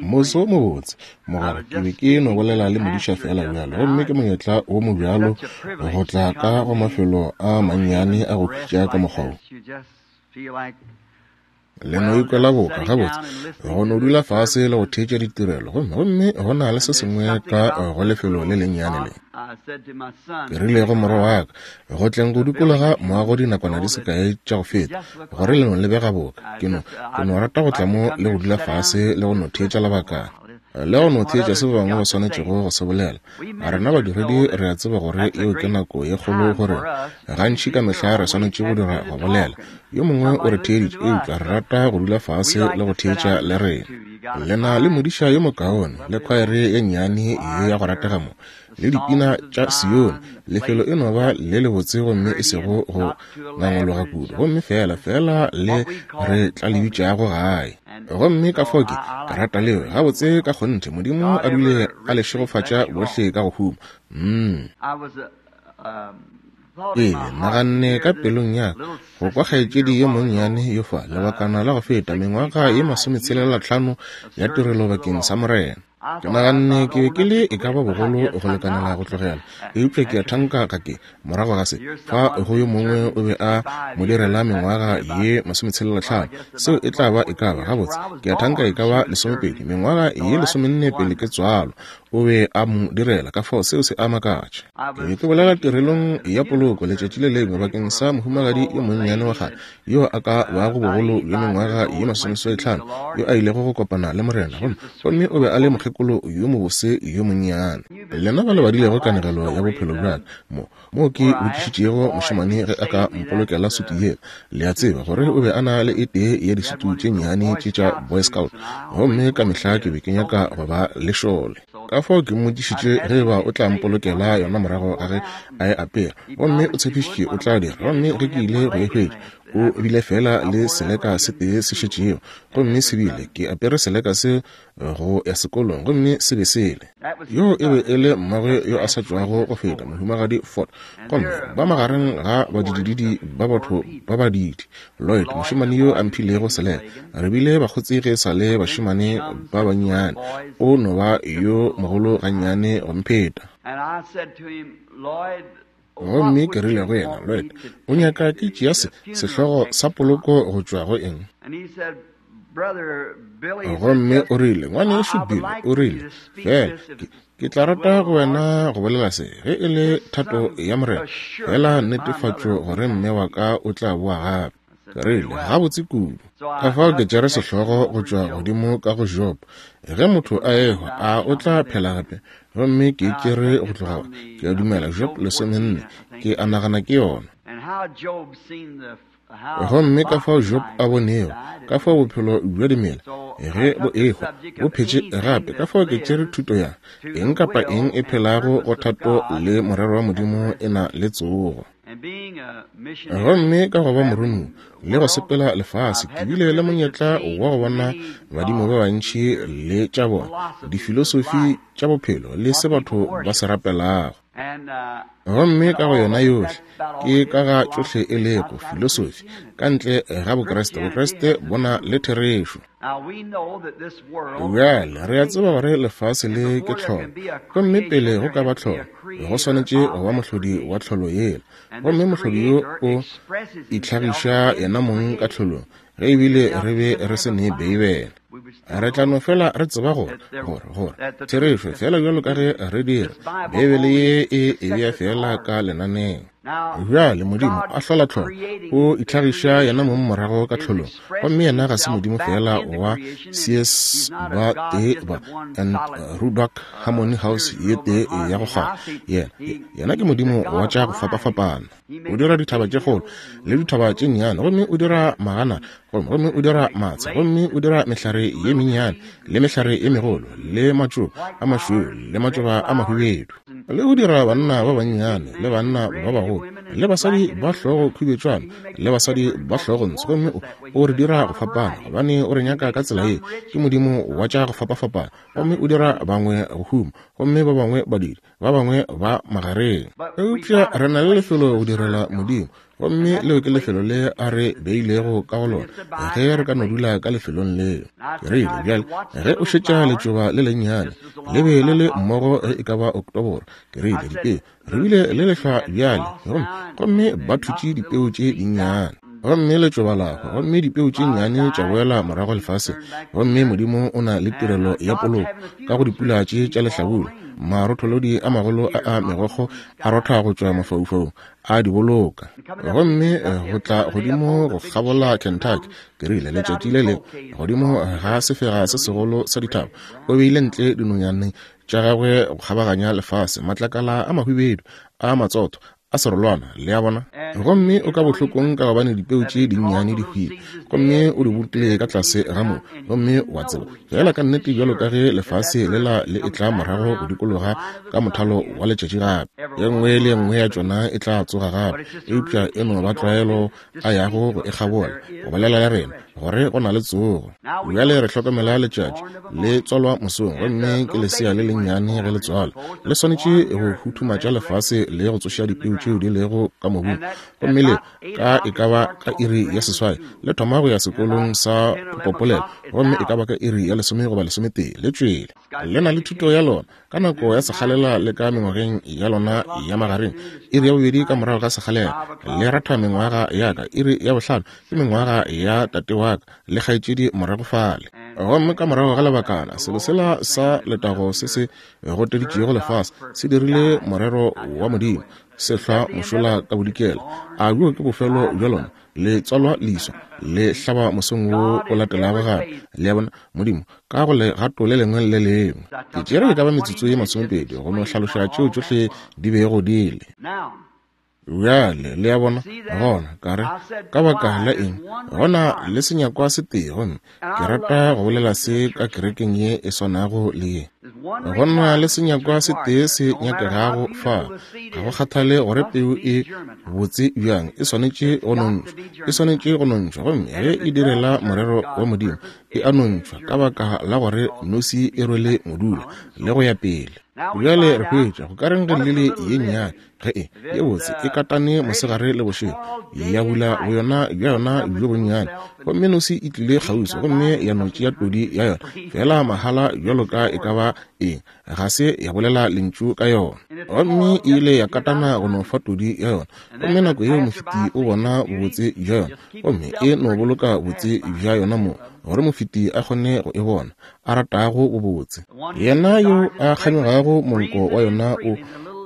Moso wo mobotse, mogwera. Ke be ke no bolela le modiša feela bjalo, gomme ke monyetla wo mobjalo go tla ka go mafelo a mannyane a go khutša ka mokgwa wo. Le no ikwela boka gabotse go no dula fase le go theetša ditirelo, gomme, gomme go na le se sengwe ka go lefelo le lennyane le. Ke rile go morwa wa ka, go tleng go dikologa moago dinakwana di se kae tša go feta, gore le no lebega boka. Ke no, ke no rata go tla mo le go dula fase le go no theetša lebakana, le go no theetša se ba bangwe ba swanetšego go se bolela. A rena badiredi re a tseba gore yeo ke nako ye kgolo go rena. Gantši ka mehla re swanetše go dira go bolela. Yo mongwe o re theeditše, eupša re rata go dula fase le go theetša le rena. Le na le modiša yo mokaone, le khwaere ye nnyane ye ya go ratega mo, le dipina tša Sione. Lefelo e no ba le lebotse gomme e sego go ngangologa kudu, gomme feela, feela le re tla le bitšago gae. Gomme ka fao ke, ke rata leo, gabotse ka kgonthe. Modimo a dule a le šegofatša bohle ka go huma. Mm. Ee, naganne ka pelong ya ka, go kwa kgaetšedi yo monnyane yo fa, lebakana la go feta, mengwaga ye masometshelelathlano ya tirelo bakeng sa Morena. Ke naganne ke be ke le e ka ba bogolo go lekanela go tlogela, eupša ke a thanka ga ke, morago ga se, fa go yo mongwe o be a mo direla mengwaga ye masometshelelathlano, seo e tla ba e ka ba, gabotse, ke a thanka e ka ba lesomepedi, mengwaga ye lesomenne pele ke tswalwa, o be a mo direla, ka fao seo se a makatša. Ke be ke bolela tirelong ya poloko letšatši le lengwe bakeng sa mohumagadi yo monnyane wa kgale yo a ka bago bogolo bja mengwaga ye masomeseswaitlhano yo a ilego go kopana le Morena, gomme, gomme o be a le mokgekolo yo mobose yo monnyane. Lena ba le badilego kanegelo ya bophelo bja ka mo, moo ke botšišitšego mošemane ge a ka mpolokela sutu yela. Le a tseba gore o be a na le e tee ya disutu tše nnyane tše tša Boy Scout, gomme ka mehla ke be ke nyaka go ba lešole. Ka fao ke mmotšišitše ge eba o tla mpolokela yona morago ga ge a e apere, gomme o tshepišitše o tla dira. Gomme ge ke ile go e hwetša, o bile feela le seleka se tee se šetšego, gomme se bile, ke apere seleka se go ya sekolong, gomme se be se le. Yoo e be e le mmagwe yo a sa tšwago go feta, Mohumagadi Ford. Gomme ba magareng ga badidididi ba batho ba badidi. Lloyd, mošemane yo a mphilego seleka, re bile bakgotsi ge e sa le bašemane ba bannyane. O no ba yo mogolo gannyane go mpheta. Gomme ke rile go yena, Lloyd, o nyaka ke tšea se, sehlogo sa poloko go tšwa go eng? Gomme o rile, Ngwanešu Bill, o rile, feela ke, ke tla rata go wena go bolela se, ge e le thato ya Morena, feela netefatšo gore mme wa ka o tla boa gape. Ke rile, Gabotse kudu. Ka fao ke tšere sehlogo go tšwa godimo ka go Job, Ge motho a ehwa, a o tla phela gape? Gomme ke e tšere go tloga, ke a dumela, Job 14, ke a nagana ke yona. Gomme ka fao Job a bonego, ka fao bophelo bja dimela, ge bo ehwa, bo phetše gape, ka fao ke tšere thuto ya, eng kapa eng e phelago go thato le morero wa Modimo e na le tsogo. Gomme ka go ba moromiwa le go sepela lefase, ke bile le monyetla wa go bona badimo ba bantši le tša bona, difilosofi tša bophelo le se batho ba se rapelago. Gomme ka go yona yohle, ke ka ga tšohle e lego filosofi, ka ntle ga Bokriste. Bokriste bo na le therešo. Bjale, re a tseba gore lefase le ke tlholo, gomme pele go ka ba tlholo, go swanetše go ba mohlodi wa tlholo yela. Gomme mohlodi yo o itlhagiša yena mong ka tlholong, ge ebile re be re se ne Beibele. Re tla no fela re tseba gore, gore, gore, therešo, feela bjalo ka ge re dira, Beibele ye e e bea feela ka lenaneo. Bjale, Modimo, a hlola tlholo, o itlhagiša yena mong morago ka tlholong. Gomme yena ga se Modimo feela wa Sears ba tee ba and Roebuck Harmony House ye tee ya go kgwara. Yena, yena ke Modimo wa tša go fapafapana. O dira dithaba tše kgolo le dithaba tše nnyane, gomme o dira magana, gomme, gomme o dira matsha, gomme o dira mehlare ye mennyane le mehlare ye megolo, le matšoba a mašweu le matšoba a mahubedu, le go dira banna ba bannyane le banna ba bagolo, le basadi ba hlogo khubetšwana le basadi ba hlogo ntsho. Gomme o, o re dira go fapana, gobane o re nyaka ka tsela ye. Ke Modimo wa tša go fapafapana, gomme o dira bangwe go huma, gomme ba bangwe badiri, ba bangwe ba magareng. Eupša re na le lefelo go direla Modimo. Gomme leo ke lefelo le a re beilego ka go lona, ge re ka no dula ka lefelong leo. Ke rile, Bjale, ge o šetša letšoba le lennyane, le be le le mmogo ge e ka ba Oktoboro. Ke rile, Dipeu, re bile le lehlwa bjale, gomme, gomme ba thutše dipeu tše dinnyane. Gomme letšoba la hwa, gomme dipeu tše nnyane tša boela morago lefaseng. Gomme Modimo o na le tirelo ya poloko ka go dipula tše tša lehlabula. Marotholodi a magolo a a megokgo a rotha go tšwa mafaufaung, a di boloka. Gomme go tla godimo go kgabola Kentucky, ke rile, letšatši le lengwe, godimo ga sefega se segolo sa dithaba, o beile ntle dinonyane tša gagwe go kgabaganya lefase, matlakala a mahwibedu a matsotho a serolwana, le a bona. Gomme o ka bohlokong ka gobane dipeu tše dinnyane di hwile, gomme o di bolokile ka tlase ga mobu. Gomme wa tseba, feela ka nnete bjalo ka ge lefase lela le etla morago go dikologa ka mothalo wa letšatši gape, ye nngwe le ye nngwe ya tšona e tla tsoga gape, eupša e no ba tlwaelo a yago go e kgabola, go bolela le rena gore go na le tsogo. Bjale re hlokomela letšatši le tswalwa mosong, gomme ke lesea le lennyane ge le tswalwa, le swanetše go huthumatša lefase le go tsoša dipeu tšeo di lego ka mobung. Gomme le ka e ka ba ka iri ya seswai le thoma go ya sekolong sa popopolelo, gomme e ka ba ka iri ya lesome goba lesometee le tšwele. Le na le thuto ya lona ka nako ya sekgalela le ka mengwageng ya lona ya magareng. Iri ya bobedi ka morago ga sekgalela le ratha mengwaga ya ka. Iri ya bohlano ke mengwaga ya tate wa ka le kgaetšedi morago fale. Gomme ka morago ga lebakana, selo sela sa letago se se goteditšego lefase se dirile morero wa Modimo, se hlwa mošola ka bodikela. A bjo ke bofelo bja lona? Le tswalwa leswa, le hlaba mosong wo o latelago gape. Le a bona? Modimo, ka go legato le lengwe le le lengwe. Ke tšere e ka ba metsotso ye masomepedi go no hlaloša tšeo tšohle di bego di le. Bjale, le a bona, gona, ka re, ka baka la eng, gona le senyakwa se tee, gomme ke rata go bolela se ka kerekeng ye e swanago le ye. Go na le senyakwa se tee se nyakegago fa, ga go kgathale gore peu e botse bjang, e swanetše go nontšhwa, e swanetše go nontšhwa, gomme ge e direla morero wa Modimo, e a nontšhwa ka baka la gore nosi e rwele modula le go ya pele. Bjale re hwetša go ka reng ge lili ye nnyane ge e ye botse e katane mosegare le bošego, ya bula boyona bja yona bjo bonnyane, gomme nosi e tlile kgauswi gomme ya no tšea todi ya yona feela mahala bjalo ka e ka ba eng, ga se ya bolela lentšu ka yona. Gomme e ile ya katana go no fa todi ya yona, gomme nako yeo mofeti o bona bobotse bja yona, gomme e no boloka botse bja yona mo gore mofeti a kgone go e bona, a ratago bobotse. Yena yo a kganyogago monko wa yona o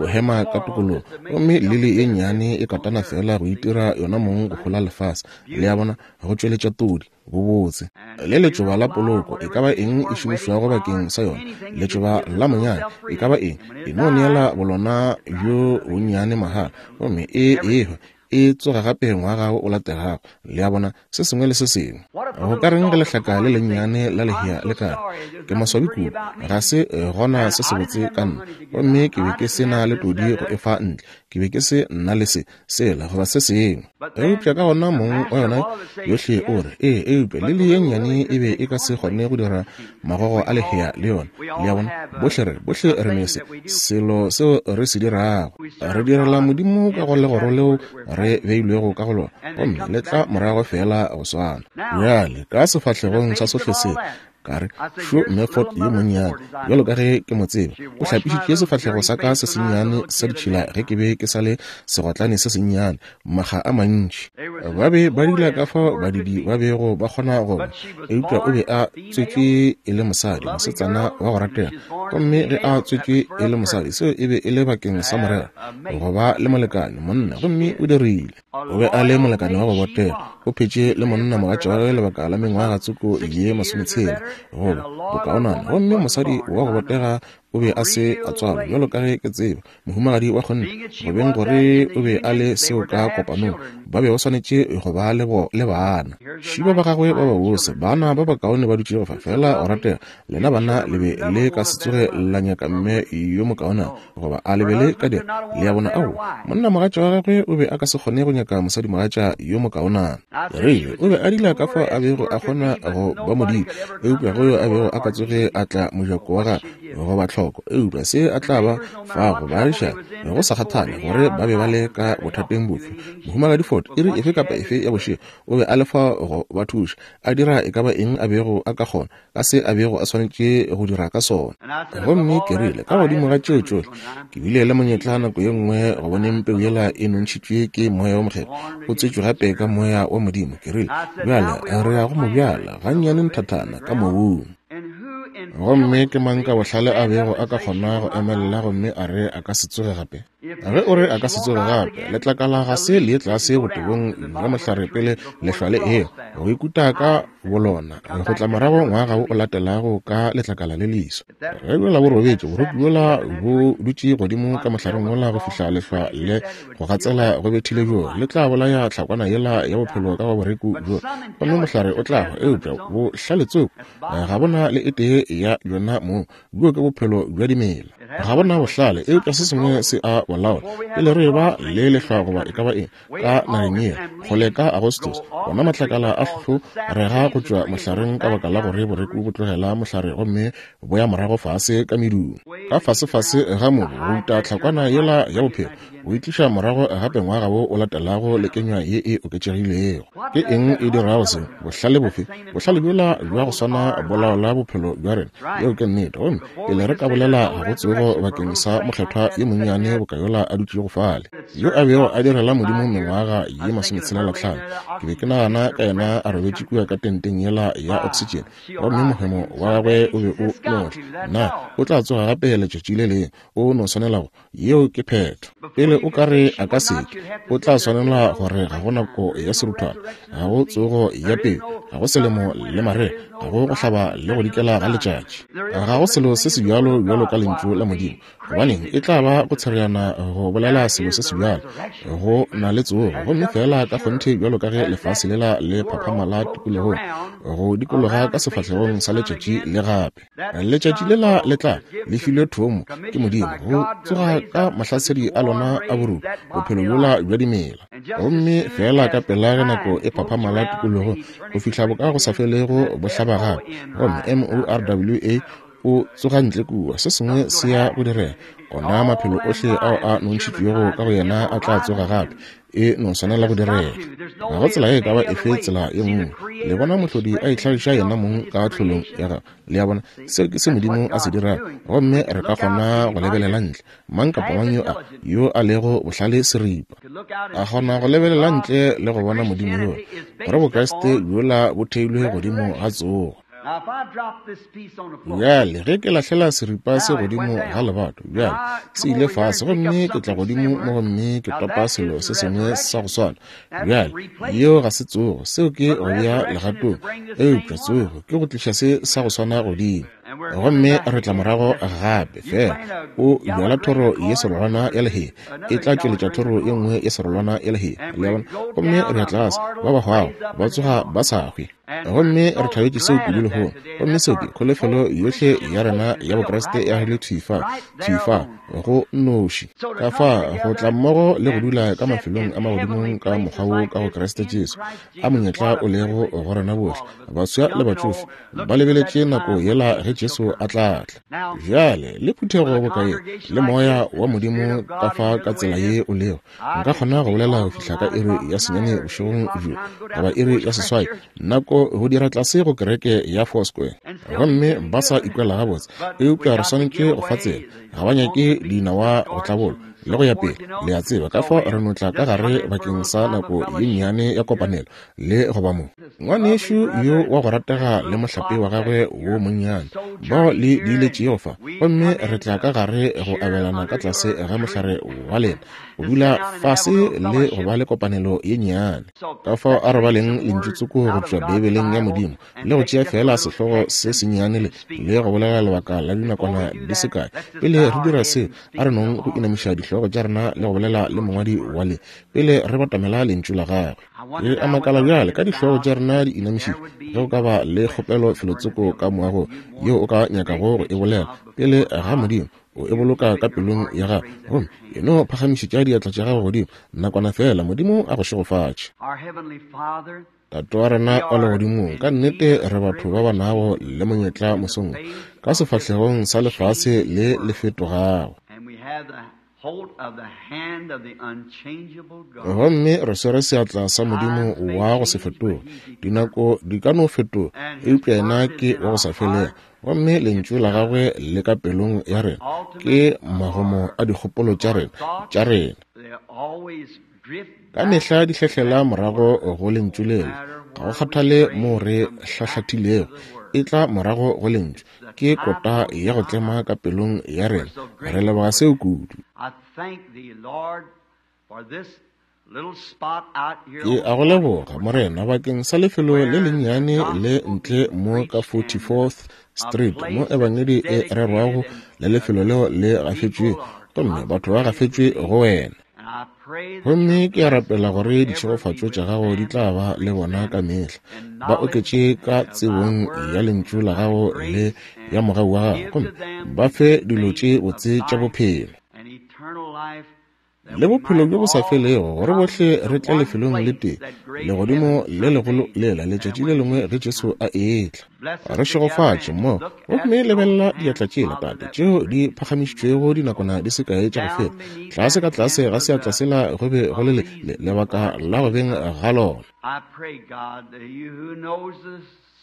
o hema ka tokologo, gomme lili ye nnyane e katana feela go itira yona mong go hola lefase, le a bona, go tšweletša todi, bobotse. Le letšoba la poloko, e ka ba eng e šomišwago bakeng sa yona, letšoba la monyanya, e ka ba eng, e no neela bolona bjo bonnyane mahala, gomme e ehwa, e tsoga gape ngwaga o latelago, le a bona, se sengwe le se sengwe. Go ka reng ge lehlaka le lennyane la lehea le ka re, Ke maswabi kudu, ga se gona se sebotse ka nna, gomme ke be ke se na le todi go e fa ntle, ke be ke se nna le se, sela, goba se sengwe. Eupša ka gona mong wa yona yohle o re, Ee, eupša lili ye nnyane e be e ka se kgone go dira magogo a lehea le yona. Le a bona? Bohle re, bohle re ne se, selo seo re se dirago. Re direla Modimo ka go legoro leo re beilwego ka go lona, gomme le tla morago feela go swana. Bjale, ka sefahlegong sa sohle se, ka re, Šo Mme Ford yo monnyane, bjalo ka ge ke mo tseba, o hlapišitše sefahlego sa ka se sennyane sa ditšhila ge ke be ke sa le segotlane se sennyane, makga a mantši. Ba be ba dula ka fao badidi ba bego ba kgona go ba, eupša o be a tswetšwe e le mosadi, mosetsana wa go ratega. Gomme ge a tswetšwe e le mosadi, seo e be e le bakeng sa morero, go ba le molekane, monna, gomme o dirile. O be a le molekane wa go botega. O phetše le monna mogatša wa gagwe lebaka la mengwaga tsoko ye masometshela goba bokaonana. Gomme mosadi wa go botega o be a se a tswalwa, bjalo ka ge ke tseba, mohumagadi wa kgonthe, go beng gore o be a le seo ka kopanong, ba be ba swanetše go ba le, le bana. Šiba ba gagwe ba babose, bana ba bakaone ba dutšego fa, feela go ratega. Lena bana le be le ka se tsoge la nyaka mme yo mokaonana, goba a le be le ka dira? Le a bona? Aowa, monnamogatša wa gagwe o be a ka se kgone go nyaka mosadimogatša yo mokaonana. Rile o be a dila ka fao a bego a kgona go ba modimo, eupša go yo a bego a ka tsoge a tla mojako wa gagwe goba tlhoko. hloko eupša se a tla ba fago baagišani, go sa kgathale gore ba be ba le ka bothateng bofe. Mohumagadi Ford, iri efe kapa efe ya bošego, o be a le fa go ba thuša, a dira e ka ba eng a bego a ka kgona, ka se a bego a swanetše go dira ka sona. Gomme ke rile, ka godimo ga tšeo tšohle, ke bile le monyetla nako ye nngwe go boneng peu yela e nontšhitšwe ke Moya wo Mokgethwa, o tswetšwe gape ka Moya wa Modimo. Ke rile, Bjale re ya go mo bjala gannyane nthathana ka mobung. Gomme ke mang ka bohlale a bego a ka kgona go emelela gomme a re a ka se tsoge gape? Ge o re a ka se tsoge gape, letlakala ga se le ye tlase botebong bja mohlare pele lehlwa le ewa, go ikuta ka bolona, go tla morago ngwaga wo o latelago ka letlakala le leswa. Ge bjola bo robetše, boroku bjola bo dutše godimo ka mohlareng wola go fihla lehlwa le go gatsela go bethile bjo, le tla bolaya tlhakwana yela ya bophelo ka go boreku bjo, gomme mohlare o tla hwa. Eupša bohlale tsoko ga bona le e tee ya bjona moo, bjo ke bophelo bja dimela. Ga bona bohlale, eupša se sengwe se a bo laola. Pele re eba le lehlwa goba e ka ba eng ka nageng ye, kgole ka Agostos, ona matlakala a hlohlo rega go tšwa mohlareng ka baka la gore boreku bo tlogela mohlare gomme bo ya morago fase ka medung. Ka fasefase ga mobu go uta tlhakwana yela ya bophelo, go e tliša morago gape ngwaga wo o latelago le kenywa ye e oketšegilego. Ke eng e dirago seo? Bohlale bofe? Bohlale bjola bja go swana bo laola bophelo bja rena. Yeo ke nnete. Gomme pele re ka bolela go tsogo bakeng sa mokgethwa yo monnyane boka yola a dutšego fale, yo a bego a direla Modimo mengwaga ye masometshela-hlano, ke be ke nagana ka yena a robetše kua ka tenteng yela ya oksitšene, gomme mohemo wa gagwe o be o notla. Na o tla tsoga gape letšatši le lengwe? O no swanela go. Yeo ke phetho. Pele o ka re a ka seke, o tla swanela gore ga go nako ya seruthwana, ga go tsogo ya pele, ga go selemo le marega, ga go go hlaba le go dikela ga letšatši, ga go selo se se bjalo bjalo ka Lentšu la Modimo. Gobaneng, e tla ba go tshereana go bolela selo se se bjalo. Go na le tsogo, gomme feela ka kgonthe bjalo ka ge lefase lela le phaphama la tikologong, go dikologa ka sefahlegong sa letšatši le gape. Letšatši lela le tla le filwe thomo ke Modimo go tsoga ka mahlasedi a lona a boruto, bophelo bjola bja dimela. Gomme feela ka pela ge nako e phaphamala tikologo go fihla boka go sa felego bo hlaba gape, gomme M-O-R-W-A o tsoga ntle kua, se sengwe se ya go direga. Ona maphelo ohle ao a nontšhitšwego ka go yena a tla tsoga gape. E no swanela go direga. Ga go tsela e ka ba efe tsela ye nngwe. Le bona Mohlodi a itlhagiša yena mong ka tlholong ya gagwe. Le a bona? Seo ke se Modimo a se dirago. Gomme re ka kgona go lebelela ntle. Mang kapa mang yo a, yo a lego bohlale seripa, a kgona go lebelela ntle le go bona Modimo yola, gore Bokriste bjola bo theilwe godimo ga tsogo. Bjale, ge ke lahlela seripa se godimo ga lebato, bjale se ile fase, gomme ke tla godimo mo gomme ke topa selo se sengwe sa go swana. Bjale, yeo ga se tsogo, seo ke go bea legatong, eupša tsogo ke go tliša se sa go swana godimo. Gomme re tla morago gape, feela o bjala thoro ye serolwana ya lehea, e tla tšweletša thoro ye nngwe ye serolwana ya lehea. Le a bona? Gomme re ya tlase, ba ba hwago ba tsoga ba sa hwe. Gomme re thabetše seo kudu lehono. Gomme seo ke kholofelo yohle ya rena ya Bokriste e agilwe thwi fa, thwi fa, go nnoši. Ka fa go tla mmogo le go dula ka mafelong a magodimong ka mokgwa wo ka go Kriste Jesu, a monyetla o lego go rena bohle, baswa le batšofe, ba lebeletše nako yela ge Jesu a tla tla. Bjale, le phuthego boka ye, le Moya wa Modimo ka fa ka tsela ye o lego, Nka kgona go bolela go fihla ka iri ya senyane bošegong bjo, goba iri ya seswai, nako go dira tlase go kereke ya Foursquare. Gomme ba sa ikwela gabotse, eupša re swanetše go fa tsela. Ga ba nyake dinawa go tlabolwa, le go ya pele, le a tseba. Ka fao re no tla ka gare bakeng sa nako ye nnyane ya kopanelo, le go ba mo. Ngwanešu yo wa go ratega le mohlape wa gagwe wo monnyane, bao le diiletšego fa, gomme re tla ka gare go abelana ka tlase ga mohlare wa lena, go dula fase le go ba le kopanelo ye nnyane. Ka fao a re baleng lentšu tsoko go tšwa Beibeleng ya Modimo, le go tšea feela sehlogo se sennyane le, le go bolela lebaka la dinakwana di se kae. Pele re dira seo, a re nong go inamiša dihlogo tša rena le go bolela le Mongwadi wa le, pele re batamela Lentšu la Gagwe. Re a makala bjale, ka dihlogo tša rena di inamišitšwe, ge go ka ba le kgopelo felotsoko ka moagong yeo o ka nyakago go e bolela pele ga Modimo, o e boloka ka pelong ya gago, gomme e no phagamišetša diatla tša gago godimo nakwana feela. Modimo a go šegofatše. Tate wa rena wa Legodimong, ka nnete re batho ba ba nago le monyetla mosong wo, ka sefahlegong sa lefase le le fetogago. Gomme re swere seatla sa Modimo wa go se fetoge. Dinako di ka no fetoga, eupša Yena ke wa go sa felego. Gomme Lentšu la Gagwe le ka pelong ya rena, ke magomo a dikgopolo tša rena, tša rena. Ka mehla di hlehlela morago go Lentšu lela. Ga go kgathale moo re hlahlathilego, e tla morago go Lentšu. Ke kota ya go tlema ka pelong ya rena. Re leboga seo kudu. Ke a go leboga, Morena, bakeng sa lefelo le lennyane le ntle mo ka 44th Street, mo Ebangedi e rerwago, le lefelo leo le gafetšwe, gomme batho ba gafetšwe go Wena. Gomme ke a rapela gore ditšhegofatšo tša gago di tla ba le bona ka mehla, ba oketše ka tsebong ya lentšu la gago le ya mogau wa gago, gomme ba fe dilo tše botse tša bophelo le bophelo bjo bo sa felego, gore bohle re tle lefelong le tee, legodimo le legolo lela, letšatši le lengwe ge Jesu a etla. Re šegofatše mo gomme lebelela diatla tšela, Tate, tšeo di phagamišitšwego dinakwana di se kae tša go feta. Tlase ka tlase ga seatla sela go be go le le, le lebaka la go beng ga lona.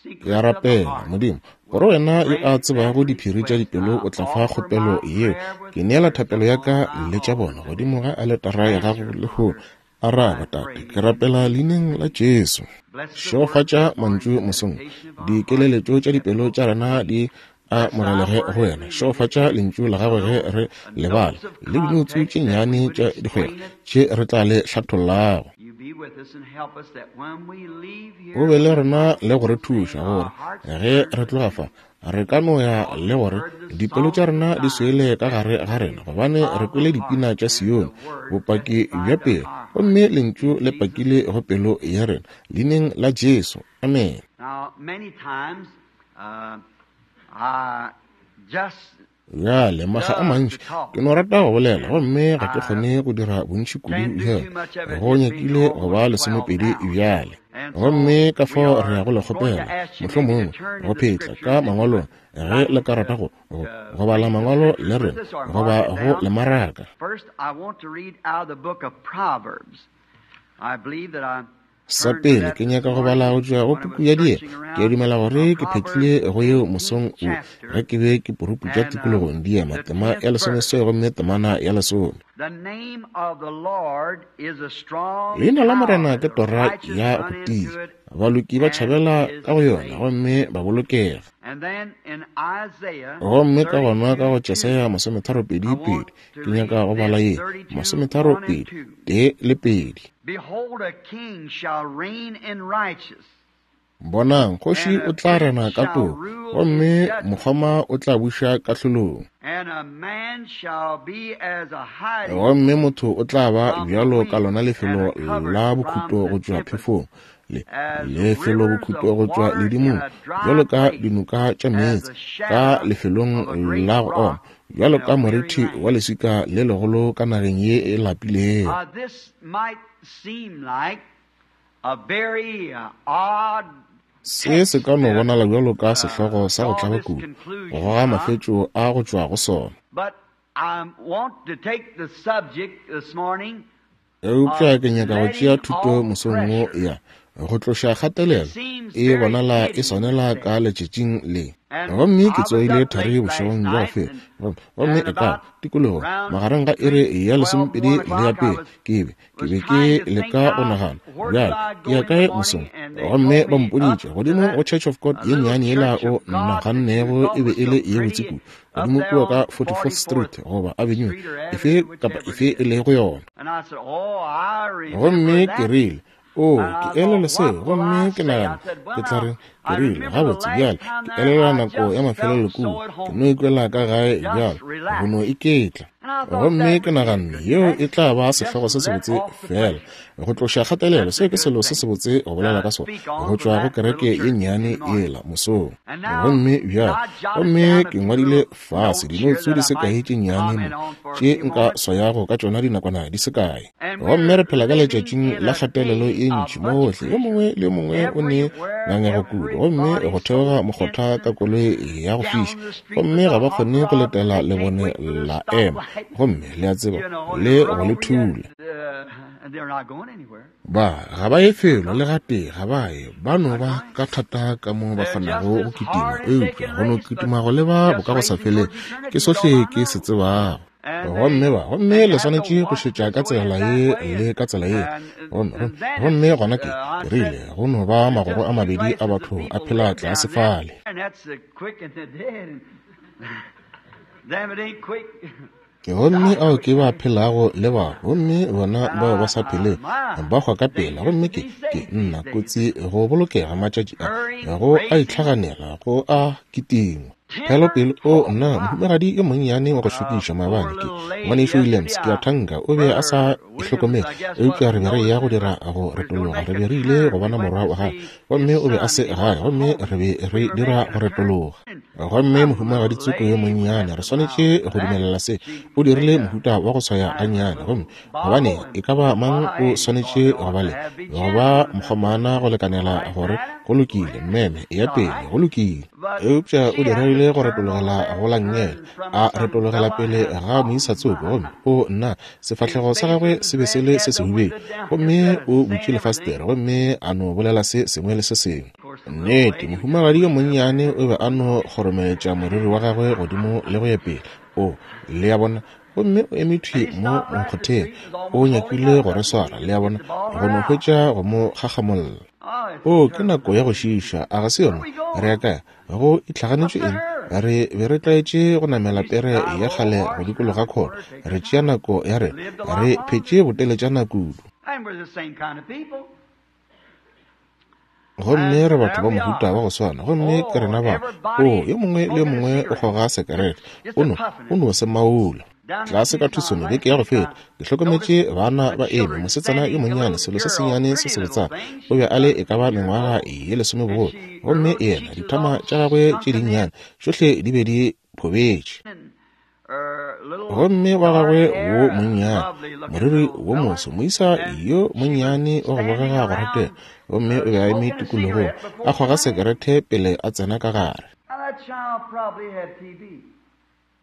Ke a rapela, Modimo, gore Wena yo a tsebago diphiri tša dipelo o tla fa kgopelo yeo. Ke neela thapelo ya ka le tša bona godimo ga aletara ya Gago lehono. Araba, Tate, ke rapela Leineng la Jesu. Šegofatša mantšu mosong. Dikeleletšo tša dipelo tša rena di amogelege go wena. Šegofatša lentšu la gago ge re le bala, le dinoutsu tše nnyane tša dikgwego tše re tla le hlathollago. O be le rena le go re thuša gore ge re tloga fa Re ka no ya le gore dipelo tša rena di swele ka gare ga rena, gobane re kwele dipina tša Sione, bopaki bja pelo, gomme Lentšu le pakile go pelo ya rena, Leineng la Jesu. Amene. Bjale, makga a mantši, ke no rata go bolela, gomme ga ke kgone go dira bontši kudu bjale. Go nyakile go ba lesomepedi bjale. Gomme ka fao re ya go le kgopela, mohlomongwe, go phetla ka Mangwalong, ge le ka rata go, go, go bala Mangwalo le rena, goba go le maraka. Sa pele, ke nyaka go bala go tšwa go puku ya Diema. Ke a dumela gore ke phetlile go yeo mosong wo ge ke be ke puruputša tikologong. Diema, tema ya lesomeswai gomme temana ya lesome. Leina la Morena ke tora ya go tia, baloki ba tšhabela ka go yona gomme ba bolokega. Gomme ka gona ka go Jesaya masometharopedi pedi, Ke nyaka go bala ye, masometharopedi, tee le pedi. Bonang, kgoši o tla rena ka toko, gomme mokgoma o tla buša kahlolong. Gomme motho o tla ba bjalo ka lona lefelo la bokhutlo go tšwa phefong, le lefelo bokhutlo go tšwa ledimong, bjalo ka dinoka tša meetse ka lefelong la go oma, bjalo ka morithi wa leswika le legolo ka nageng ye e lapilego. Se se ka no bonala bjalo ka sehlogo sa go tlaba kudu, go goga mafetšo a go tšwa go sona. Eupša ke nyaka go tšea thuto mosong wo ya go tloša kgatelelo e bonala e swanela ka letšatšing le. Gomme ke tsoile thari bošegong bja go feta, gomme e ka tikologong magareng ga iri ya lesomepedi le ya pele, ke be ke be ke leka go nagana, bjale ke ya kae mosong? Gomme ba mpoditše godimo go Church of God ye nnyane yela o nagannego e be e le ye botse kudu, godimo kua ka 44th Street goba Avenue efe kapa efe e lego yona. Gomme ke rile, O, ke elelwa seo, gomme ke nagana ke tla re, ke rile, gabotse, bjale, ke elelwa nako ya mafelelo kua, ke no ikwela ka gae bjalo, go no iketla. Gomme ke naganne yeo e tla ba sehlogo se sebotse, feela go tloša kgatelelo. Seo ke selo se sebotse go bolela ka sona, go tšwa go kereke ye nnyane yela mosong. Gomme bjale, gomme ke ngwadile fase dinoutsu di se kae tše nnyane mo, tše nka swayago ka tšona dinakwana di se kae. Gomme re phela ka letšatšing la kgatelelo ye ntši mogohle, yo mongwe le yo mongwe o ne ngangego kudu, gomme go theoga mokgotha ka koloi ya go fiša, gomme ga ba kgone go letela lebone la ema, gomme le a tseba, le go le thula. Ba ga ba ye felo le gatee, ga ba ye, ba no ba ka thata ka mo ba kgonago go kitima, eupša go no kitima go leba bokagosafeleng ke sohle ke se tsebago. Gomme ba, gomme le swanetše go šetša ka tsela ye le ka tsela ye. Gomme, gomme gona ke, ke rile, go no ba magoro a mabedi a batho a phela tlase fale. Gomme ao ke ba phelago le ba, gomme bona bao ba sa phelego ba hwa ka pela. Gomme ke, ke nna kotsi go bolokega matšatši a, go a itlhaganela, go a kitingwa. Phelo pele, o nna, mohumagadi yo monnyane wa go šokiša maabane, ke Ngwanešu Williams, ke a thanka o be a sa ihlokomele, eupša re be re eya go dira go retologa, re be re ile go bona morwa wa gagwe, gomme o be a se gae, gomme re be re dira go retologa. Gomme mohumagadi tsoko yo monnyane, re swanetše go dumelela se, o dirile mohuta wa go swaya gannyane, gomme gobane e ka ba mang o swanetše go ba le go ba mokgomana go lekanela gore go lokile, mmeme, eya pele, go lokile. Eupša o dirile go retologela go la nngele, a retologela pele ga moisa tsoko, gomme o nna, sefahlego sa gagwe se be se le se sehubedu, gomme o butše lefastere gomme a no bolela se sengwe le se sengwe. Nnete, mohumagadi yo monnyane o be a no kgoromeletša moriri wa gagwe godimo le go ya pele. O, le a bona, gomme o eme thwi mo mokgotheng, o nyakile go re swara, le a bona, go no hwetša go mo gagamolla. O, ke nako ya go šiiša, a ga se yona? Re ya kae? Go itlhaganetšwe eng? Re be re tlwaetše go namela pere ya kgale go dikologa khona, re tšea nako ya rena, re phetše boteletšana kudu. Gomme re batho ba mohuta wa go swana, gomme ke rena ba. O, yo mongwe le yo mongwe o kgoga sekerete, o no, o no se maula. Tlase ka Tucson beke ya go feta, ke hlokometše bana ba eme, mosetsana yo monnyane, selo se sennyane se sebotsana, o be a le e ka ba mengwaga ye lesome bogolo, gomme yena, dithama tša gagwe tše dinnyane, tšohle di be di phobetše. Gomme wa gagwe wo monnyane, moriri wo moso, moisa yo monnyane wa go bogega go ratega, gomme o be a eme tikologong, a kgoga sekerete pele a tsena ka gare.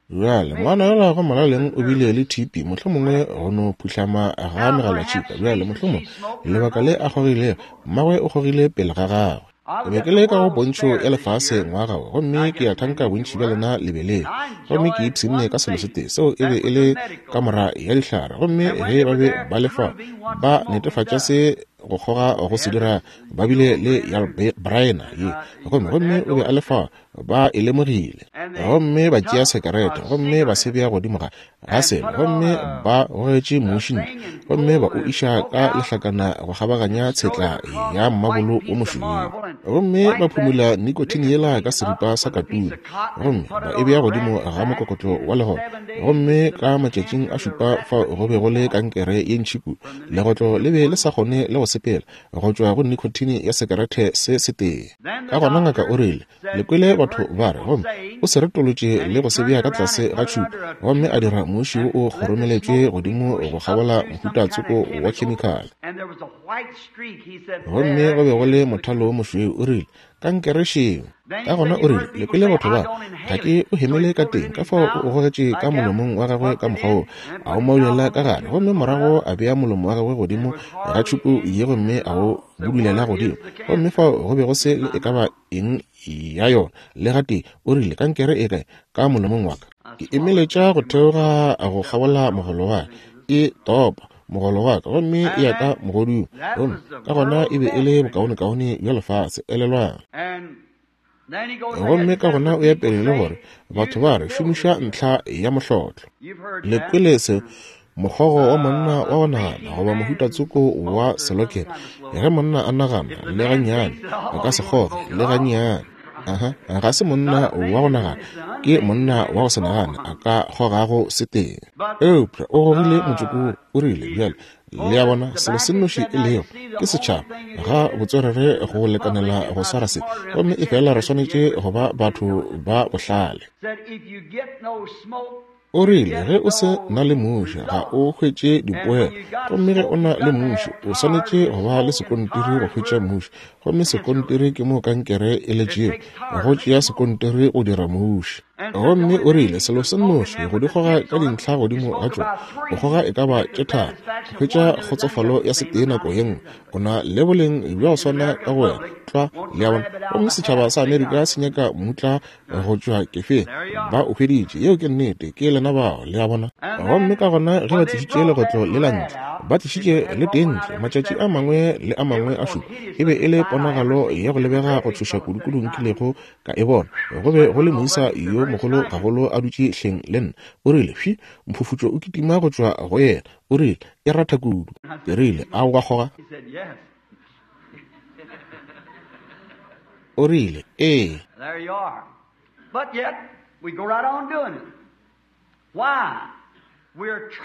Bjale, ngwana yola go molaleng o bile le TB, mohlomongwe go no phuhlama ga megalatšhika. Bjale, mohlomongwe lebaka le a kgogilego, mmagwe o kgogile pele ga gagwe. Ke be ke le ka go pontšho ya lefase ngwaga wo, gomme ke a thanka bontši bja lena le be le. Gomme ke ipshinne ka selo se tee, seo e be e le kamora ya dihlare. Gomme ge ba be ba le fao, ba netefatša se go kgoga go se dira, ba bile le ya Braena ye. Gomme, gomme o be a le fao, ba e lemogile. Gomme ba tšea sekerete, gomme ba se bea godimo ga, ga selo, gomme ba gogetše muši ntle, gomme ba o iša ka lehlakana go kgabaganya tshetla ya mmabolo wo mošweu. Gomme ba phumula nikotine yela ka seripa sa katune, gomme ba e bea godimo ga mokokotlo wa legotlo. Gomme ka matšatšing a šupa fao go be go le kankere ye ntši kudu, legotlo le be le sa kgone le go sepela, go tšwa go nikotine ya sekerete se setee. Ka gona ngaka o rile, Le kwele batho ba re, gomme o se retolotše le go se bea ka tlase ga tšhupu, gomme a dira muši wo o kgoromeletšwe godimo go kgabola mohuta tsoko wa khemikhale. Gomme go be go le mothalo wo mošweu, o rile, Kankere šeo. Ka gona o rile, Le kwele batho ba, ga ke o hemele ka teng, ka fao o o gogetše ka molomong wa gagwe ka mokgwa wo, a o maulela ka gare, gomme morago a bea molomo wa gagwe godimo ga tšhupu ye gomme a o budulela godimo, gomme fao go be go se le e ka ba eng ya yona le gatee. O rile, Kankere e kae? Ka molomong wa ka. Ke emeletša go theoga go kgabola mogolo wa ka, e topa mogolo wa ka, gomme e ya ka mogodung, gomme ka gona e be e le bokaonekaone bja lefase. Elelwang. Gomme ka gona o ya pele le gore batho ba re šomiša ntlha ya mohlotlo. Le kwele se mokgogo wa monna wa go nagana goba mohuta tsoko wa selokene. Ge monna a nagana le gannyane, a ka se kgoge le gannyane. Aha, ga se monna wa go nagana, ke monna wa go se nagane a ka kgogago setee. Eupša o gogile motšoko wo, o rile, Bjale, le a bona, selo se nnoši e lego, ke setšhaba, ga botswerere go lekanela go swara se, gomme efela re swanetše go ba batho ba bohlale. O rile, Ge o se na le muši, ga o hwetše dipoelo. Gomme ge o na le muši, o swanetše go ba le sekontiri go hwetša muši. Gomme sekontiri ke moo kankere e letšego, go tšea sekontiri go dira muši. Gomme o rile, Selo se nnoši, go di goga ka dintlha godimo ga tšona, go goga e ka ba tše tharo, go hwetša kgotsofalo ya setee nako ye nngwe. O na le boleng bja go swana ka go wena, tlwa, le a bona. Gomme setšhaba sa Amerika se nyaka mmutla go tšwa kefeng. Ba o hweditše. Yeo ke nnete. Ke lena bao, le a bona. Gomme ka gona ge ba tlišitše legotlo lela ntle, ba tlišitše le tee ntle, matšatši a mangwe le a mangwe a šupa, e be e le ponagalo ya go lebega go tšhoša kudukudu nkilego ka e bona. Go be go le moisa yo mogolo gagolo a dutše hleng le nna. O rile, Fši, mphufutšo o kitima go tšwa go yena. O rile, E ratha kudu. Ke rile, A o ka kgoga? O rile, Ee.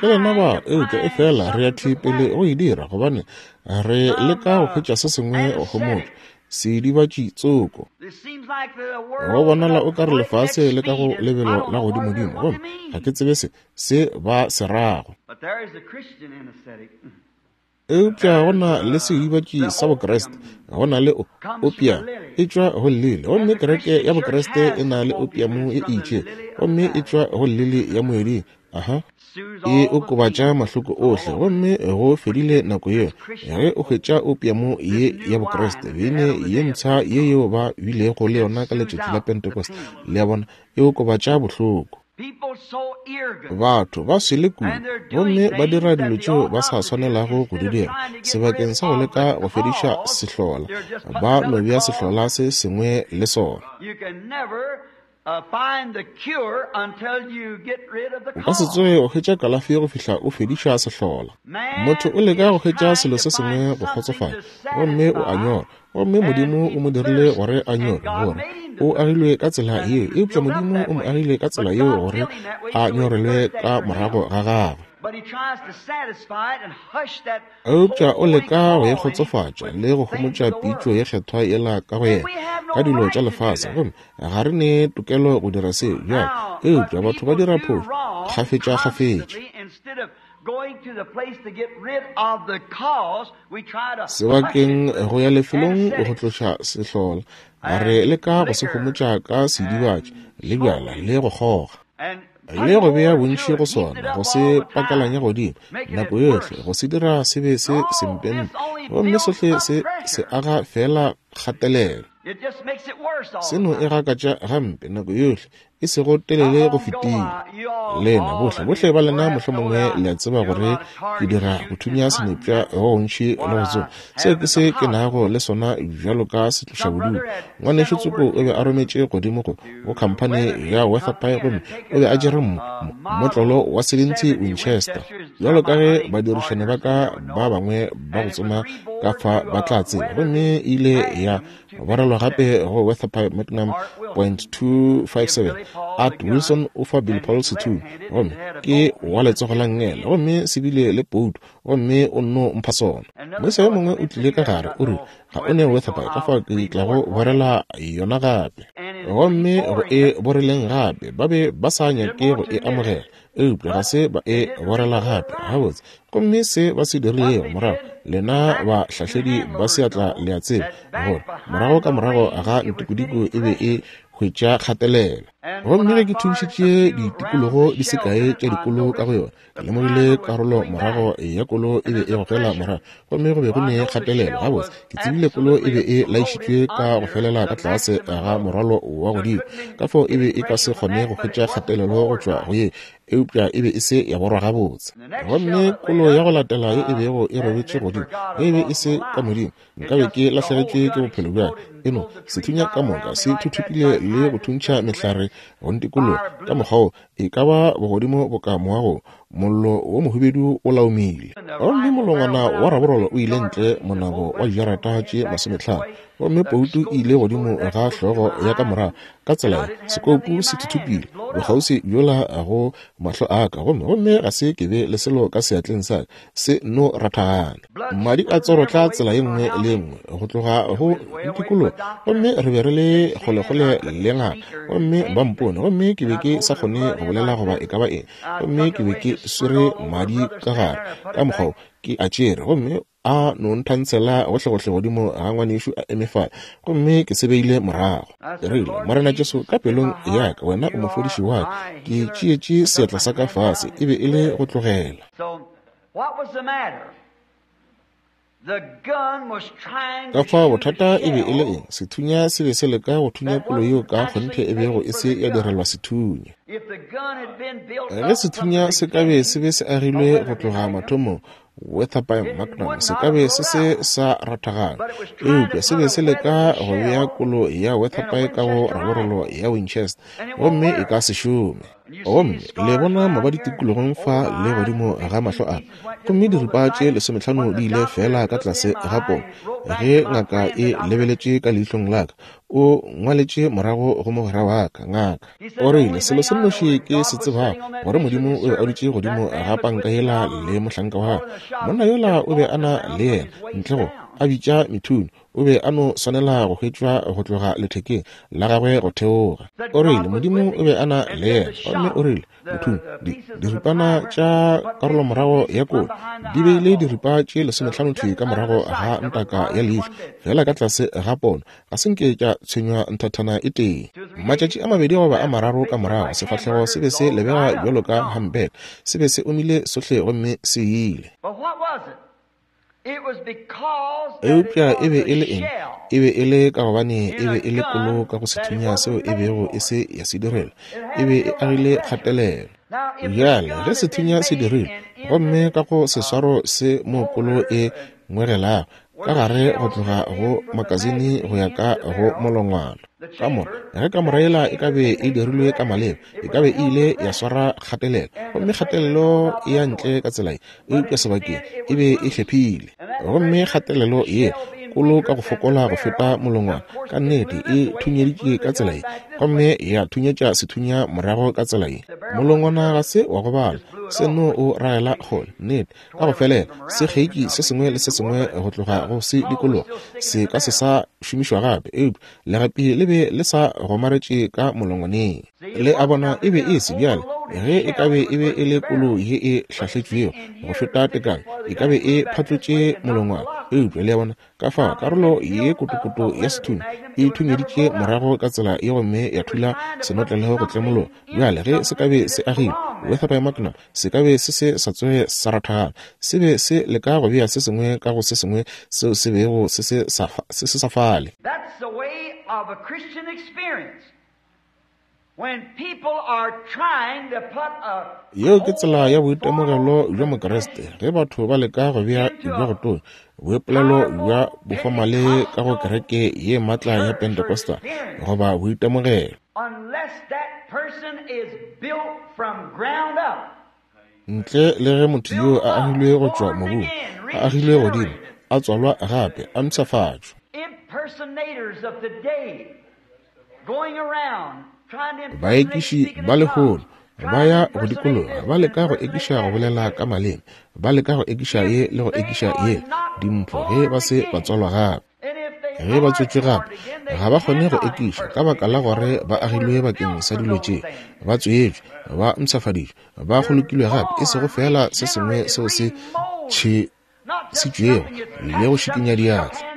Ke lena bao, eupša efela re ya thwi pele go e dira, gobane re leka go hwetša se sengwe go homotša, seidibatši tsoko. Go bonala o ka re lefase le ka go lebelo la godimodimo, gomme ga ke tsebe se, se ba se rago. Eupša go na le seidibatši sa Bokriste, go na le opium, e tšwa go llili. Gomme kereke ya Bokriste e na le opium e itšego, gomme e tšwa go llili ya moeding. Aha. E okobatša mahloko ohle, gomme go fedile nako yeo. Ge o hwetša opium ye ya Bokriste, beine ye mpsha ye yeo ba bilego le yona ka letšatši la Pentecost, le a bona, e okobatša bohloko. Batho ba swele kudu gomme ba dira dilo tšeo ba sa swanelago go di dira. Sebakeng sa go leka go fediša sehlola, ba no bea sehlola se sengwe le sona. O ka se tsoge o hwetša kalafi go fihla o fediša sehlola. Motho o leka go hwetša selo se sengwe go kgotsofatša, gomme o a nyorwa. Gomme Modimo o mo dirile gore a nyorwe, gore o agilwe ka tsela yeo, eupša Modimo o mo agile ka tsela yeo gore a nyorelwe ka morago ga gagwe. Eupša o leka go e kgotsofatša le go homotša pitšo ye kgethwa yela ka go yena ka dilo tša lefase, gomme ga re ne tokelo go dira seo bjale. Eupša batho ba dira phošo kgafetšakgafetša. Sebakeng go ya lefelong go tloša sehlola, re leka go se homotša ka seidibatši le bjala le go kgoga, le go bea bontši go sona, go se pakalanya godimo nako yohle, go se dira se be se sempempe, gomme sohle se se aga feela kgatelelo. Se no e gakatša gampe nako yohle, e sego telele go fetile. Lena bohle, bohle ba lena mohlomongwe le a tseba gore ke dira go thunya senepša go gontši le go tsoma. Seo ke se ke nago le sona bjalo ka setlošabodutu. Ngwanešu tsoko o be a rometše godimo go, go khamphani ya Weatherby gomme o be a tšere mmotlolo wa 70 Winchester. Bjalo ka ge badirišani ba ka ba bangwe ba go tsoma ka fa ba tla tseba, gomme e ile ya Borelwa gape go Weatherby Magnum .257 Art Wilson o fa Billy Paul sethunya gomme ke wa letsogo la nngele gomme se bile le pouto gomme o nno mpha sona. Moisa yo mongwe o tlile ka gare o rile, Ga o ne Weatherby ka fao ke tlago borela yona gape. Gomme go e boreleng gape ba be ba sa nyake go e amogela. Eupša ga se ba e borela gape. Gabotse, gomme se ba se dirilego morago, lena bahlahledi ba seatla le a tseba, gore morago ka morago ga ntikodiko e be e hwetša kgatelelo. Gomme ge ke thuntšhitše ditikologo di se kae tša dikolo ka go yona, ke lemogile karolo morago ya kolo e be e gogela morago, gomme go be go ne kgatelelo. Gabotse, ke tsebile kolo e be e laišitšwe ka go felela ka tlase ga morwalo wa godimo, ka fao e be e ka se kgone go hwetša kgatelelo go tšwa go ye, eupša e be e se ya borwa gabotse. Gomme kolo ya go latela ye e bego e robetše godimo, ge e be e se ka Modimo, nkabe ke lahlegetšwe ke bophelo bja ka. E no, sethunya ka moka se thuthupile le go thuntšha mehlare go ntikologa ka mokgwa wo, e ka ba bogodimo boka moago. Mollo wo mohubedu o laomile. Gomme molongwana wa raborolo o ile ntle monabo wa dijarata tše 50, gomme poutu e ile godimo ga hlogo ya ka morago ka tsela ye, sekoupu se thuthupile bokgauswi bjola go mahlo a ka, gomme, gomme ga se ke be le selo ka seatleng sa ka, se nno rathagana. Madi a tsorotla tsela ye nngwe le ye nngwe go tloga go ntikologa, gomme re be re le kgolekgole le ngaka, gomme ba mpone, gomme ke be ke sa kgone go bolela goba e ka ba eng, gomme ke be ke swere madi ka gare ka mokgwa wo, ke a tšere, gomme a no nthantshela gohlegohle godimo ga ngwanešu a eme fale, gomme ke se beile morago. Ke rile, Morena Jesu, ka pelong ya ka, Wena o mofodiši wa ka. Ke tšeetše seatla sa ka fase, e be e le go tlogela. Ka fao bothata e be e le eng? Sethunya se be se leka go thunya kolo yeo ka kgonthe e bego e se ya direlwa sethunya. Ge sethunya se ka be se be se agilwe go tloga mathomong, Weatherby Magnum se ka be se se sa rathagana, eupša se be se leka go bea kolo ya Weatherby ka go raborolo ya Winchester, gomme e ka se šome. Gomme le bona mabadi tikologong fa le godimo ga mahlo a ka, gomme diripa tše 15 di ile feela ka tlase ga pono. Ge ngaka e lebeletše ka leihlong la ka, o ngwaletše morago go mogwera wa ka, ngaka. O rile, Selo se nnoši ke se tsebago, gore Modimo o be a dutše godimo ga panka yela le mohlanka wa gagwe. Monna yola o be a na le yena, ntle go a bitša methunyo. O be a no swanela go hwetšwa go tloga lethekeng la gagwe go theoga. O rile, Modimo o be a na le yena. Gomme o rile, Methunyo, di, diripana tša karolomorago ya kolo di beile diripa tše 15 thwi ka morago ga ntaka ya leihlo, feela ka tlase ga pono. Ga se nke tša tshwenywa nthathana e tee. Matšatši a mabedi goba a mararo ka morago, sefahlego se be se lebega bjalo ka humpback, se be se omile sohle gomme se ile. Eupša e be e le eng? E be e le ka gobane e be e le kolo ka go sethunya seo e bego e se ya se direla. E be e agile kgatelelo. Bjale, ge sethunya se dirilwe, gomme ka go seswaro se mo kolo e ngwegelago ka gare go tloga go makasine go ya ka go molongwana, Kamora, ge kamora yela e ka be e dirilwe ka maleba, e ka be e ile ya swara kgatelelo, gomme kgatelelo e ya ntle ka tsela ye, eupša sebakeng e be e hlephile. Gomme kgatelelo ye kolo ka go fokola go feta molongwana, ka nnete e thunyeditše ka tsela ye, gomme ya thunyetša sethunya morago ka tsela ye. Molongwana ga se wa gobala, se no o ragela kgole, nnete, ka go felela sekgeiki se sengwe le se sengwe go tloga go se dikologa se ka se sa šomišwa gape, eupša legapi le be le sa gomaretše ka molongwaneng. Le a bona, e be e se bjale. Ge e ka be e be e le kolo ye e hlahletšwego go feta tekano, e ka be e phatlotše molongwana. Eupša le a bona, Ka fao karolo ye kotokoto ya sethunya e thunyeditše morago ka tsela ye gomme ya thula senotlelo go tlemologa. Bjale ge se ka be se agilwe, Weatherby Magnum, se ka be se se sa tsoge sa rathagana. Se be se leka go bea se sengwe ka go se sengwe seo se bego se se sa, se se sa fale. That's the way of a Christian experience. Yeo ke tsela ya boitemogelo bja Mokriste, ge batho ba leka go bea bja go tonya, boipolelo bja bofomale ka go kereke ye maatla ya Pentecostal, goba boitemogelo. Ntle le ge motho yoo a agilwe go tšwa mobung, a agilwe godimo, a tswalwa gape, a mpshafatšwa. Baekiši ba lehono ba ya go dikologa ba leka go ekiša go bolela ka maleme, ba leka go ekiša ye le go ekiša ye, dimpho ge ba se ba tswalwa gape. Ge ba tswetšwe gape, ga ba kgone go ekiša ka baka la gore ba agilwe bakeng sa dilo tše. Ba tswetšwe, ba mpshafaditšwe, ba kgolokilwe gape, e sego feela se sengwe seo se tšhesitšwego le go šikinya diatla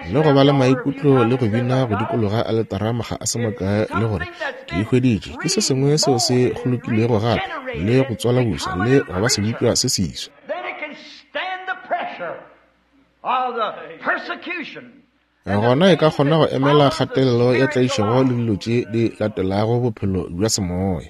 le go ba le maikutlo le go bina go dikologa aletara maga a se makae le gore ke e hweditše. Ke se sengwe seo se kgolokilwego gape le go tswala busa le go ba sebopša se seswa. Gona e ka kgona go emela kgatelelo ya tlaišego le dilo tše di latelago bophelo bja semoya.